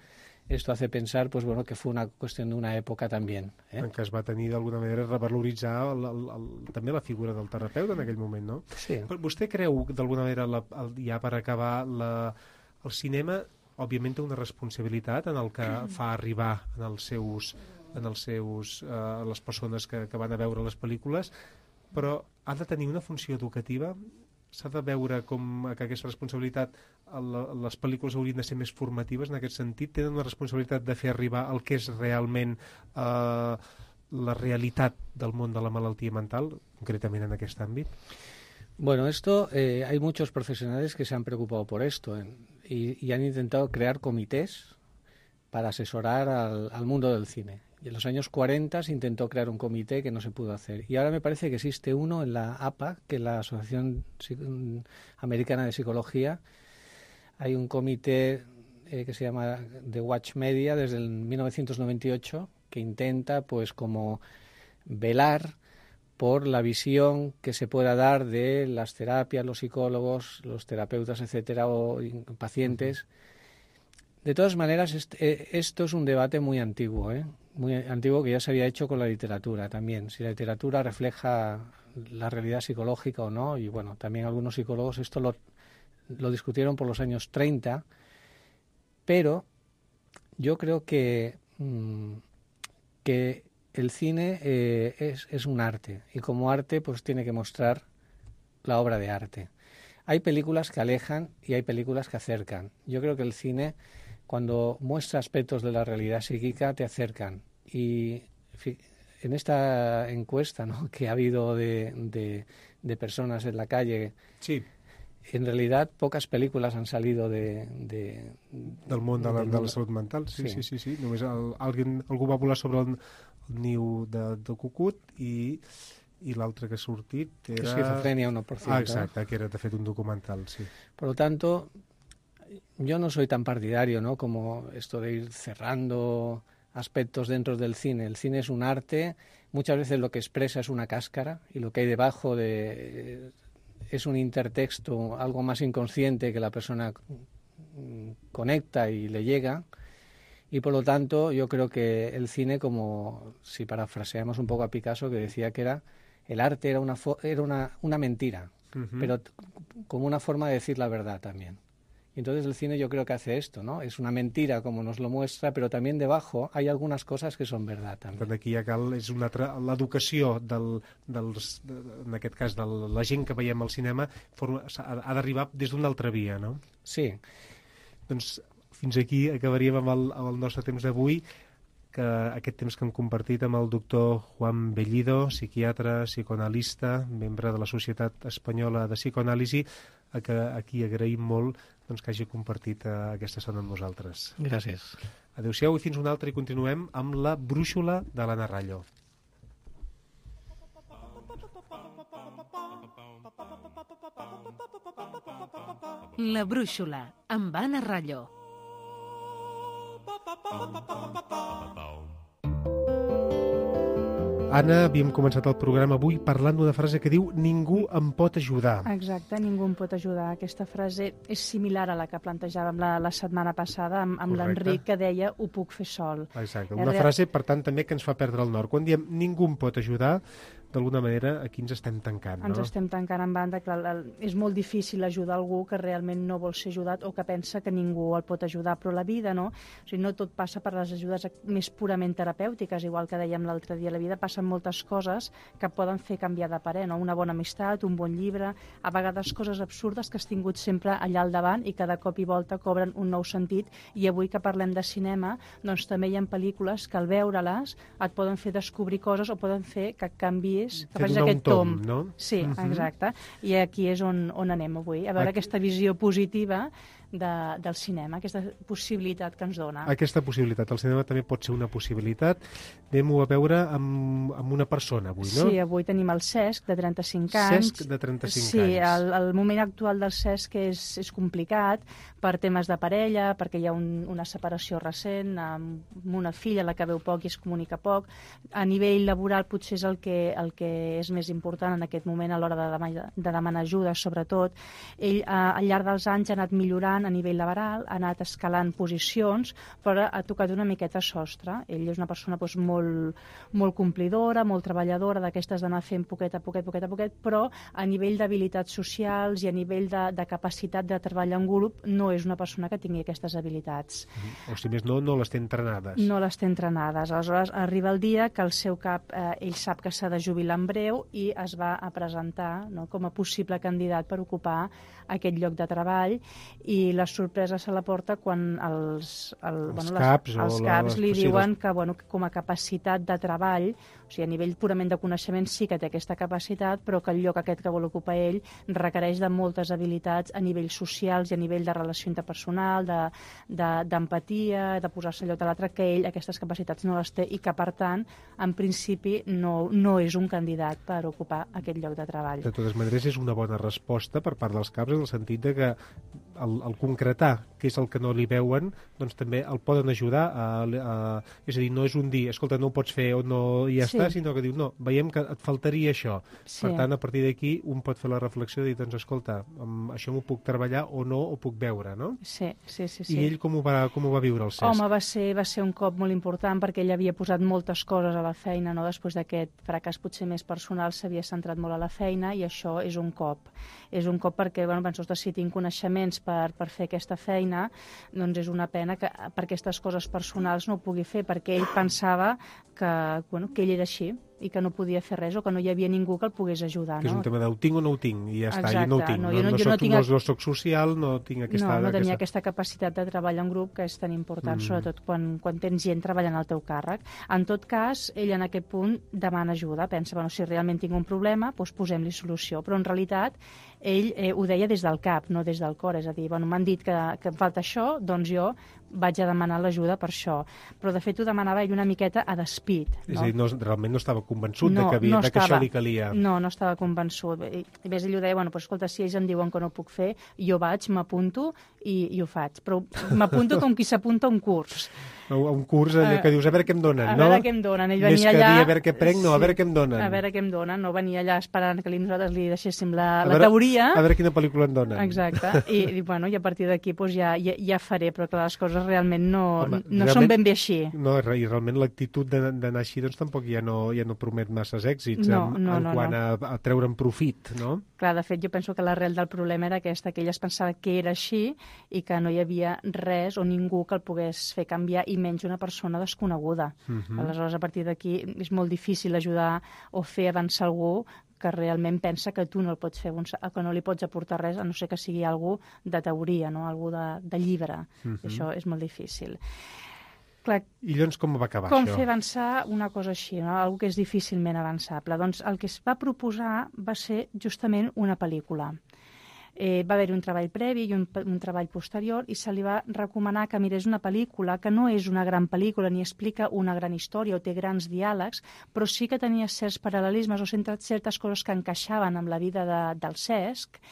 Speaker 5: esto hace pensar pues, bueno, que fue una cuestión de una època també. Eh?
Speaker 3: En què es va tenir d'alguna manera revaloritzar el, el, el, també la figura del terapeuta en aquell moment, no?
Speaker 5: Sí.
Speaker 3: Però vostè creu d'alguna manera, la, el, ja per acabar, la, el cinema òbviament té una responsabilitat en el que fa arribar en els seus, en els seus, eh, les persones que, que van a veure les pel·lícules, però ha de tenir una funció educativa? S'ha de veure com que aquesta responsabilitat, les pel·lícules haurien de ser més formatives en aquest sentit? Tenen una responsabilitat de fer arribar el que és realment eh, la realitat del món de la malaltia mental, concretament en aquest àmbit?
Speaker 5: Bueno, esto, eh, hay muchos profesionales que se han preocupado por esto eh, y, y han intentado crear comités para asesorar al, al mundo del cine. Y en los años cuarenta se intentó crear un comité que no se pudo hacer. Y ahora me parece que existe uno en la A P A, que es la Asociación Americana de Psicología. Hay un comité eh, que se llama The Watch Media desde el mil novecientos noventa y ocho que intenta pues como velar por la visión que se pueda dar de las terapias, los psicólogos, los terapeutas, etcétera, o pacientes. De todas maneras, este, esto es un debate muy antiguo, ¿eh? muy antiguo que ya se había hecho con la literatura también, si la literatura refleja la realidad psicológica o no, y bueno, también algunos psicólogos esto lo, lo discutieron por los años treinta, pero yo creo que, mmm, que el cine eh, es, es un arte, y como arte pues tiene que mostrar la obra de arte. Hay películas que alejan y hay películas que acercan. Yo creo que el cine, cuando muestra aspectos de la realidad psíquica, te acercan. Y en esta encuesta, ¿no?, que ha habido de, de, de personas en la calle,
Speaker 3: sí.
Speaker 5: En realidad pocas películas han salido de... de
Speaker 3: del món de la, de la salut mental, sí, sí, sí. sí, sí. Només el, algú, algú va volar sobre el, el niu de, de cucut i, i l'altre que ha sortit era...
Speaker 5: Esquizofrenia uno por ciento.
Speaker 3: Ah, exacte, que era de fet un documental, sí.
Speaker 5: Por lo tanto, yo no soy tan partidario, ¿no?, como esto de ir cerrando aspectos dentro del cine. El cine es un arte, muchas veces lo que expresa es una cáscara y lo que hay debajo de, es un intertexto, algo más inconsciente que la persona conecta y le llega, y por lo tanto yo creo que el cine, como si parafraseamos un poco a Picasso, que decía que era el arte era una, era una, una mentira, uh-huh. pero como una forma de decir la verdad también. Entonces el cine yo creo que hace esto, ¿no? Es una mentira como nos lo muestra, pero también debajo hay algunas cosas que son verdad també.
Speaker 3: Per aquí ja cal és una altra, l'educació del, dels, de, en aquest cas de la gent que veiem al cinema forma, ha, ha d'arribar des d'una altra via, no?
Speaker 5: Sí.
Speaker 3: Doncs fins aquí acabaríem amb el, amb el nostre temps d'avui. que aquest temps que hem compartit amb el doctor Juan Bellido, psiquiatre, psicoanalista, membre de la Societat Espanyola de Psicoanàlisi, a, que, a qui agraïm molt doncs, que hagi compartit uh, aquesta estona amb nosaltres.
Speaker 5: Gràcies.
Speaker 3: Adéu-siau i fins una altra i continuem amb la brúixola de l'Anna Rallo.
Speaker 2: La brúixola, amb Anna Rallo.
Speaker 3: Anna, havíem començat el programa avui parlant d'una frase que diu ningú em pot ajudar.
Speaker 1: Exacte, ningú em pot ajudar. Aquesta frase és similar a la que plantejàvem la, la setmana passada amb, amb l'Enric, que deia ho puc fer sol.
Speaker 3: Exacte, una frase, per tant, també que ens fa perdre el nord. Quan diem ningú em pot ajudar, d'alguna manera aquí ens estem tancant, no?
Speaker 1: Ens estem tancant en banda, que és molt difícil ajudar algú que realment no vol ser ajudat o que pensa que ningú el pot ajudar, però la vida, no? O sigui, no tot passa per les ajudes més purament terapèutiques, igual que dèiem l'altre dia, la vida passen moltes coses que poden fer canviar de parer, no? Una bona amistat, un bon llibre, a vegades coses absurdes que has tingut sempre allà al davant i que de cop i volta cobren un nou sentit, i avui que parlem de cinema, doncs també hi ha pel·lícules que al veure-les et poden fer descobrir coses o poden fer que canvi que facis aquest tom,
Speaker 3: tom, no?
Speaker 1: Sí, uh-huh. Exacte. I aquí és on, on anem avui, a veure aquí... aquesta visió positiva de, del cinema, aquesta possibilitat que ens dona.
Speaker 3: Aquesta possibilitat. El cinema també pot ser una possibilitat. Anem-ho a veure amb, amb una persona avui, no?
Speaker 1: Sí, avui tenim el Cesc, de trenta-cinc anys.
Speaker 3: Cesc, de trenta-cinc
Speaker 1: sí,
Speaker 3: anys. Sí,
Speaker 1: el, el moment actual del Cesc és, és complicat per temes de parella, perquè hi ha un, una separació recent, amb una filla a la que veu poc i es comunica poc. A nivell laboral potser és el que, el que és més important en aquest moment a l'hora de, demanar, de demanar ajuda, sobretot. Ell, a, al llarg dels anys, ha anat millorant a nivell laboral, ha anat escalant posicions, però ha tocat una miqueta sostre. Ell és una persona doncs, molt, molt complidora, molt treballadora, d'aquestes d'anar fent poquet a poquet, poquet a poquet, però a nivell d'habilitats socials i a nivell de, de capacitat de treballar en grup no és una persona que tingui aquestes habilitats.
Speaker 3: O si més no, no les té entrenades.
Speaker 1: No les té entrenades. Aleshores, arriba el dia que el seu cap, eh, ell sap que s'ha de jubilar en breu i es va a presentar, no, com a possible candidat per ocupar aquest lloc de treball, i la sorpresa se la porta quan els, el,
Speaker 3: els
Speaker 1: bueno,
Speaker 3: caps,
Speaker 1: les, els
Speaker 3: la,
Speaker 1: caps li
Speaker 3: sí,
Speaker 1: diuen
Speaker 3: les...
Speaker 1: que, bueno, que com a capacitat de treball, o sigui, a nivell purament de coneixement sí que té aquesta capacitat, però que el lloc aquest que vol ocupar ell requereix de moltes habilitats a nivell socials i a nivell de relació interpersonal, d'empatia, de, de, de posar-se al lloc de l'altre, que ell aquestes capacitats no les té i que, per tant, en principi no, no és un candidat per ocupar aquest lloc de treball.
Speaker 3: De totes maneres, és una bona resposta per part dels caps, en el sentit de que el, el concretar què és el que no li veuen, doncs també el poden ajudar a, a, és a dir, no és un dir, escolta, no ho pots fer o no i ja sí. està, sinó que diu, no, veiem que et faltaria això. Sí. Per tant, a partir d'aquí, un pot fer la reflexió de dir, doncs, escolta, amb això m'ho puc treballar o no, ho puc veure, no?
Speaker 1: Sí, sí, sí. sí.
Speaker 3: I ell com ho va, com ho va viure, el Cesc?
Speaker 1: Home, va ser, va ser un cop molt important perquè ell havia posat moltes coses a la feina, no? Després d'aquest fracàs potser més personal s'havia centrat molt a la feina i això és un cop. És un cop perquè, bueno, penso, si tinc coneixements per, per fer aquesta feina, doncs és una pena que per aquestes coses personals no ho pugui fer, perquè ell pensava que, bueno, que ell era així i que no podia fer res o que no hi havia ningú que el pogués ajudar.
Speaker 3: Que és
Speaker 1: no?
Speaker 3: un tema de ho tinc o no ho tinc, i ja està,
Speaker 1: Exacte,
Speaker 3: jo no ho tinc.
Speaker 1: No,
Speaker 3: no,
Speaker 1: jo no,
Speaker 3: no,
Speaker 1: jo
Speaker 3: soc,
Speaker 1: no, tinc...
Speaker 3: no soc social, no tinc aquesta...
Speaker 1: No, no tenia
Speaker 3: aquesta...
Speaker 1: aquesta capacitat de treballar en grup, que és tan important, mm. sobretot quan, quan tens gent treballant al teu càrrec. En tot cas, ell en aquest punt demana ajuda, pensa, bueno, si realment tinc un problema, doncs posem-li solució. Però en realitat, ell eh, ho deia des del cap, no des del cor, és a dir, bueno, m'han dit que, que em falta això, doncs jo vaig a demanar l'ajuda per això. Però de fet ho demanava ell una miqueta a despit. No?
Speaker 3: És a dir, no, realment no estava convençut
Speaker 1: no,
Speaker 3: de, que havia,
Speaker 1: no
Speaker 3: de que això li calia.
Speaker 1: No, no estava convençut. I, i més ell ho deia, bueno, però escolta, si ells em diuen que no ho puc fer, jo vaig, m'apunto i, i ho faig. Però m'apunto com qui s'apunta a un curs.
Speaker 3: A un curs allò que dius, a veure què em donen,
Speaker 1: a
Speaker 3: no?
Speaker 1: A veure què em donen. Ell
Speaker 3: Més
Speaker 1: venia
Speaker 3: que
Speaker 1: allà...
Speaker 3: dir a veure què prenc, no, sí, a veure què em donen.
Speaker 1: A veure què em donen, no venia allà esperant que li, nosaltres li deixéssim la,
Speaker 3: a
Speaker 1: la
Speaker 3: veure,
Speaker 1: teoria.
Speaker 3: A veure quina pel·lícula em donen.
Speaker 1: Exacte. I, i, bueno, i a partir d'aquí pues, ja, ja, ja faré, però que les coses realment no,
Speaker 3: Home,
Speaker 1: no
Speaker 3: realment,
Speaker 1: són ben bé així.
Speaker 3: No, i realment l'actitud d'anar així doncs, tampoc ja no, ja no promet masses èxits
Speaker 1: no,
Speaker 3: en,
Speaker 1: no,
Speaker 3: en
Speaker 1: no,
Speaker 3: quant
Speaker 1: no.
Speaker 3: A, a treure'n profit, no?
Speaker 1: Clar, de fet, jo penso que l'arrel del problema era aquesta, que ell es pensava que era així i que no hi havia res o ningú que el pogués fer canviar, i menys una persona desconeguda. Uh -huh. Aleshores, a partir d'aquí, és molt difícil ajudar o fer avançar algú que realment pensa que tu no el pots fer, que no li pots aportar res, a no ser que sigui algú de teoria, no? Algú de, de llibre. Uh -huh. Això és molt difícil. Clar,
Speaker 3: I llavors com va acabar
Speaker 1: com
Speaker 3: això?
Speaker 1: fer avançar una cosa així, no? Algo que és difícilment avançable. Doncs el que es va proposar va ser justament una pel·lícula. Eh, va haver-hi un treball previ i un, un treball posterior i se li va recomanar que mirés una pel·lícula que no és una gran pel·lícula ni explica una gran història o té grans diàlegs, però sí que tenia certs paral·lelismes o certes coses que encaixaven amb la vida de, del Cesc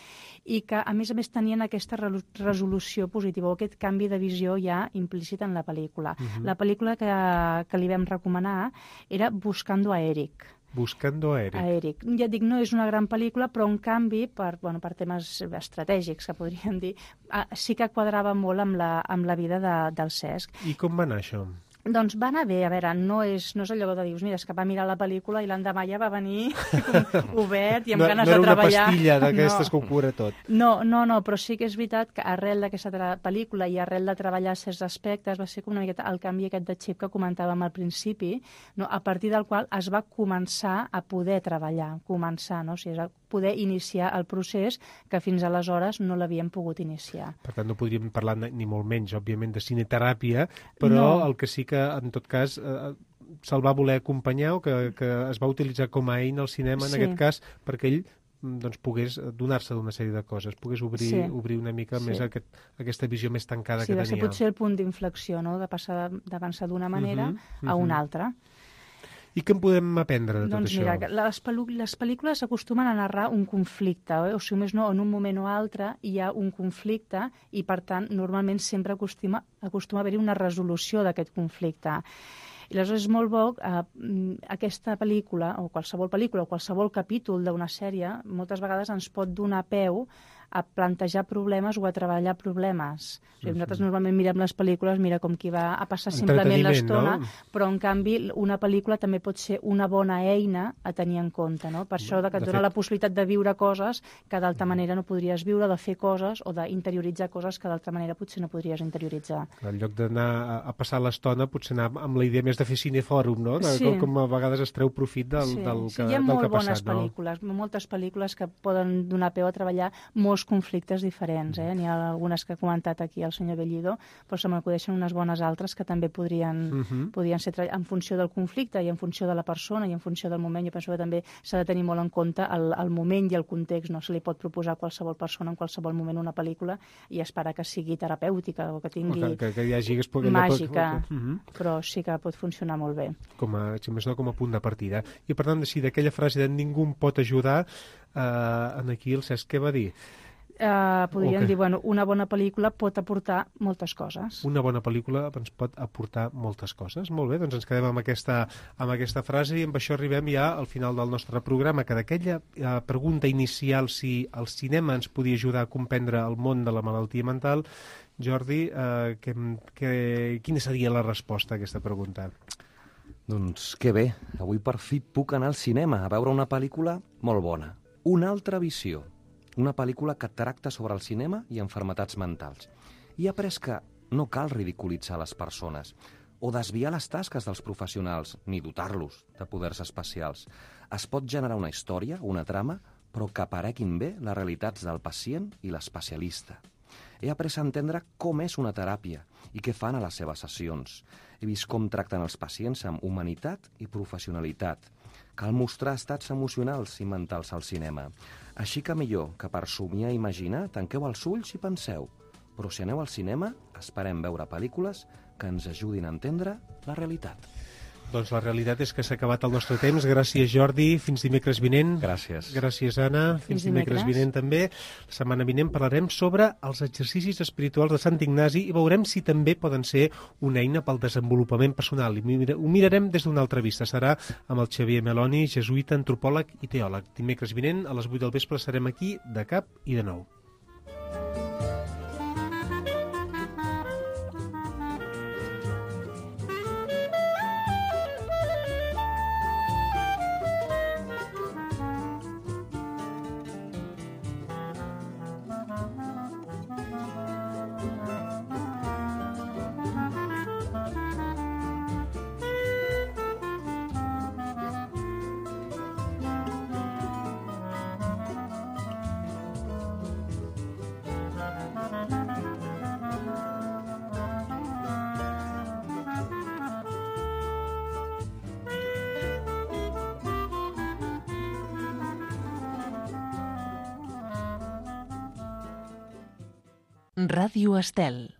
Speaker 1: i que, a més a més, tenien aquesta re resolució positiva o aquest canvi de visió ja implícit en la pel·lícula. Uh-huh. La pel·lícula que, que li vam recomanar era Buscando a Eric.
Speaker 3: Buscando a Eric.
Speaker 1: A Eric. Ja et dic, no és una gran pel·lícula, però en canvi, per, bueno, per temes estratègics, que podríem dir, sí que quadrava molt amb la, amb la vida de, del Cesc.
Speaker 3: I com va anar això?
Speaker 1: Doncs va anar bé, a veure, no és, no és allò de dius, mira, és que va mirar la pel·lícula i l'endemà ja va venir obert i amb
Speaker 3: no,
Speaker 1: ganes
Speaker 3: no
Speaker 1: de treballar.
Speaker 3: No era una pastilla d'aquestes
Speaker 1: no.
Speaker 3: que ho cura tot.
Speaker 1: No, no, no, però sí que és veritat que arrel d'aquesta pel·lícula i arrel de treballar certs aspectes va ser com una miqueta el canvi aquest de xip que comentàvem al principi, no? A partir del qual es va començar a poder treballar, començar, no? O sigui, es va poder iniciar el procés que fins aleshores no l'havíem pogut iniciar.
Speaker 3: Per tant, no podríem parlar ni molt menys, òbviament, de cineteràpia, però no. El que sí que, en tot cas, eh, se'l va voler acompanyar o que, que es va utilitzar com a eina al cinema, en sí. aquest cas, perquè ell doncs, pogués donar-se d'una sèrie de coses, pogués obrir, sí. obrir una mica sí. més aquest, aquesta visió més tancada
Speaker 1: sí,
Speaker 3: que tenia.
Speaker 1: Sí, va ser potser el punt d'inflexió, no?, de passar d'avançar d'una manera uh -huh, uh -huh. a una altra.
Speaker 3: I què en podem aprendre de tot
Speaker 1: doncs
Speaker 3: això?
Speaker 1: Doncs mira, les, les pel·lícules acostumen a narrar un conflicte, eh? O sigui, més no, en un moment o altre hi ha un conflicte i, per tant, normalment sempre acostuma, acostuma a haver-hi una resolució d'aquest conflicte. I aleshores és molt bo, eh, aquesta pel·lícula, o qualsevol pel·lícula, o qualsevol capítol d'una sèrie, moltes vegades ens pot donar peu a plantejar problemes o a treballar problemes. O sigui, nosaltres normalment mirem les pel·lícules, mira com qui va a passar simplement l'estona, no? Però en canvi una pel·lícula també pot ser una bona eina a tenir en compte, no? Per això que et dona la possibilitat de viure coses que d'altra manera no podries viure, de fer coses o d'interioritzar coses que d'altra manera potser no podries interioritzar.
Speaker 3: En lloc d'anar a passar l'estona, potser anar amb la idea més de fer cinefòrum, no? De,
Speaker 1: sí.
Speaker 3: com, com a vegades es treu profit del,
Speaker 1: sí.
Speaker 3: del,
Speaker 1: sí,
Speaker 3: que,
Speaker 1: hi ha
Speaker 3: del
Speaker 1: molt
Speaker 3: que ha passat,
Speaker 1: bones pel·lícules,
Speaker 3: no?
Speaker 1: moltes pel·lícules que poden donar peu a treballar molts conflictes diferents. Eh? N'hi ha algunes que ha comentat aquí el senyor Bellido, però se m'acudeixen unes bones altres que també podrien, uh -huh. podrien ser en funció del conflicte i en funció de la persona i en funció del moment. Jo penso que també s'ha de tenir molt en compte el, el moment i el context. No se li pot proposar a qualsevol persona en qualsevol moment una pel·lícula i esperar que sigui terapèutica o que tingui
Speaker 3: o que, que, que hi hagi que
Speaker 1: màgica,
Speaker 3: pot... uh -huh.
Speaker 1: però sí que pot funcionar molt bé.
Speaker 3: Com a, si més no, com a punt de partida. I per tant, si d'aquella frase de ningú em pot ajudar, eh, en aquí el Cesc què va dir?
Speaker 1: Uh, podríem
Speaker 3: okay.
Speaker 1: dir, bueno, una bona pel·lícula pot aportar moltes coses.
Speaker 3: Una bona pel·lícula ens pot aportar moltes coses. Molt bé, doncs ens quedem amb aquesta, amb aquesta frase i amb això arribem ja al final del nostre programa, que d'aquella uh, pregunta inicial si el cinema ens podia ajudar a comprendre el món de la malaltia mental, Jordi, uh, que, que, quina seria la resposta a aquesta pregunta?
Speaker 4: Doncs que bé, avui per fi puc anar al cinema a veure una pel·lícula molt bona. Una altra visió. Una pel·lícula que tracta sobre el cinema i enfermetats mentals. I he après que no cal ridiculitzar les persones o desviar les tasques dels professionals, ni dotar-los de poders especials. Es pot generar una història, una trama, però que apareguin bé les realitats del pacient i l'especialista. He après a entendre com és una teràpia i què fan a les seves sessions. He vist com tracten els pacients amb humanitat i professionalitat. Cal mostrar estats emocionals i mentals al cinema. Així que millor que per somiar i imaginar tanqueu els ulls i penseu. Però si aneu al cinema, esperem veure pel·lícules que ens ajudin a entendre la realitat.
Speaker 3: Doncs la realitat és que s'ha acabat el nostre temps. Gràcies, Jordi. Fins dimecres vinent.
Speaker 4: Gràcies.
Speaker 3: Gràcies, Anna. Fins, Fins dimecres. dimecres vinent també. La setmana vinent parlarem sobre els exercicis espirituals de Sant Ignasi i veurem si també poden ser una eina pel desenvolupament personal. I ho mirarem des d'una altra vista. Serà amb el Xavier Meloni, jesuïta, antropòleg i teòleg. Dimecres vinent, a les vuit del vespre, serem aquí de cap i de nou.
Speaker 2: Ràdio Estel.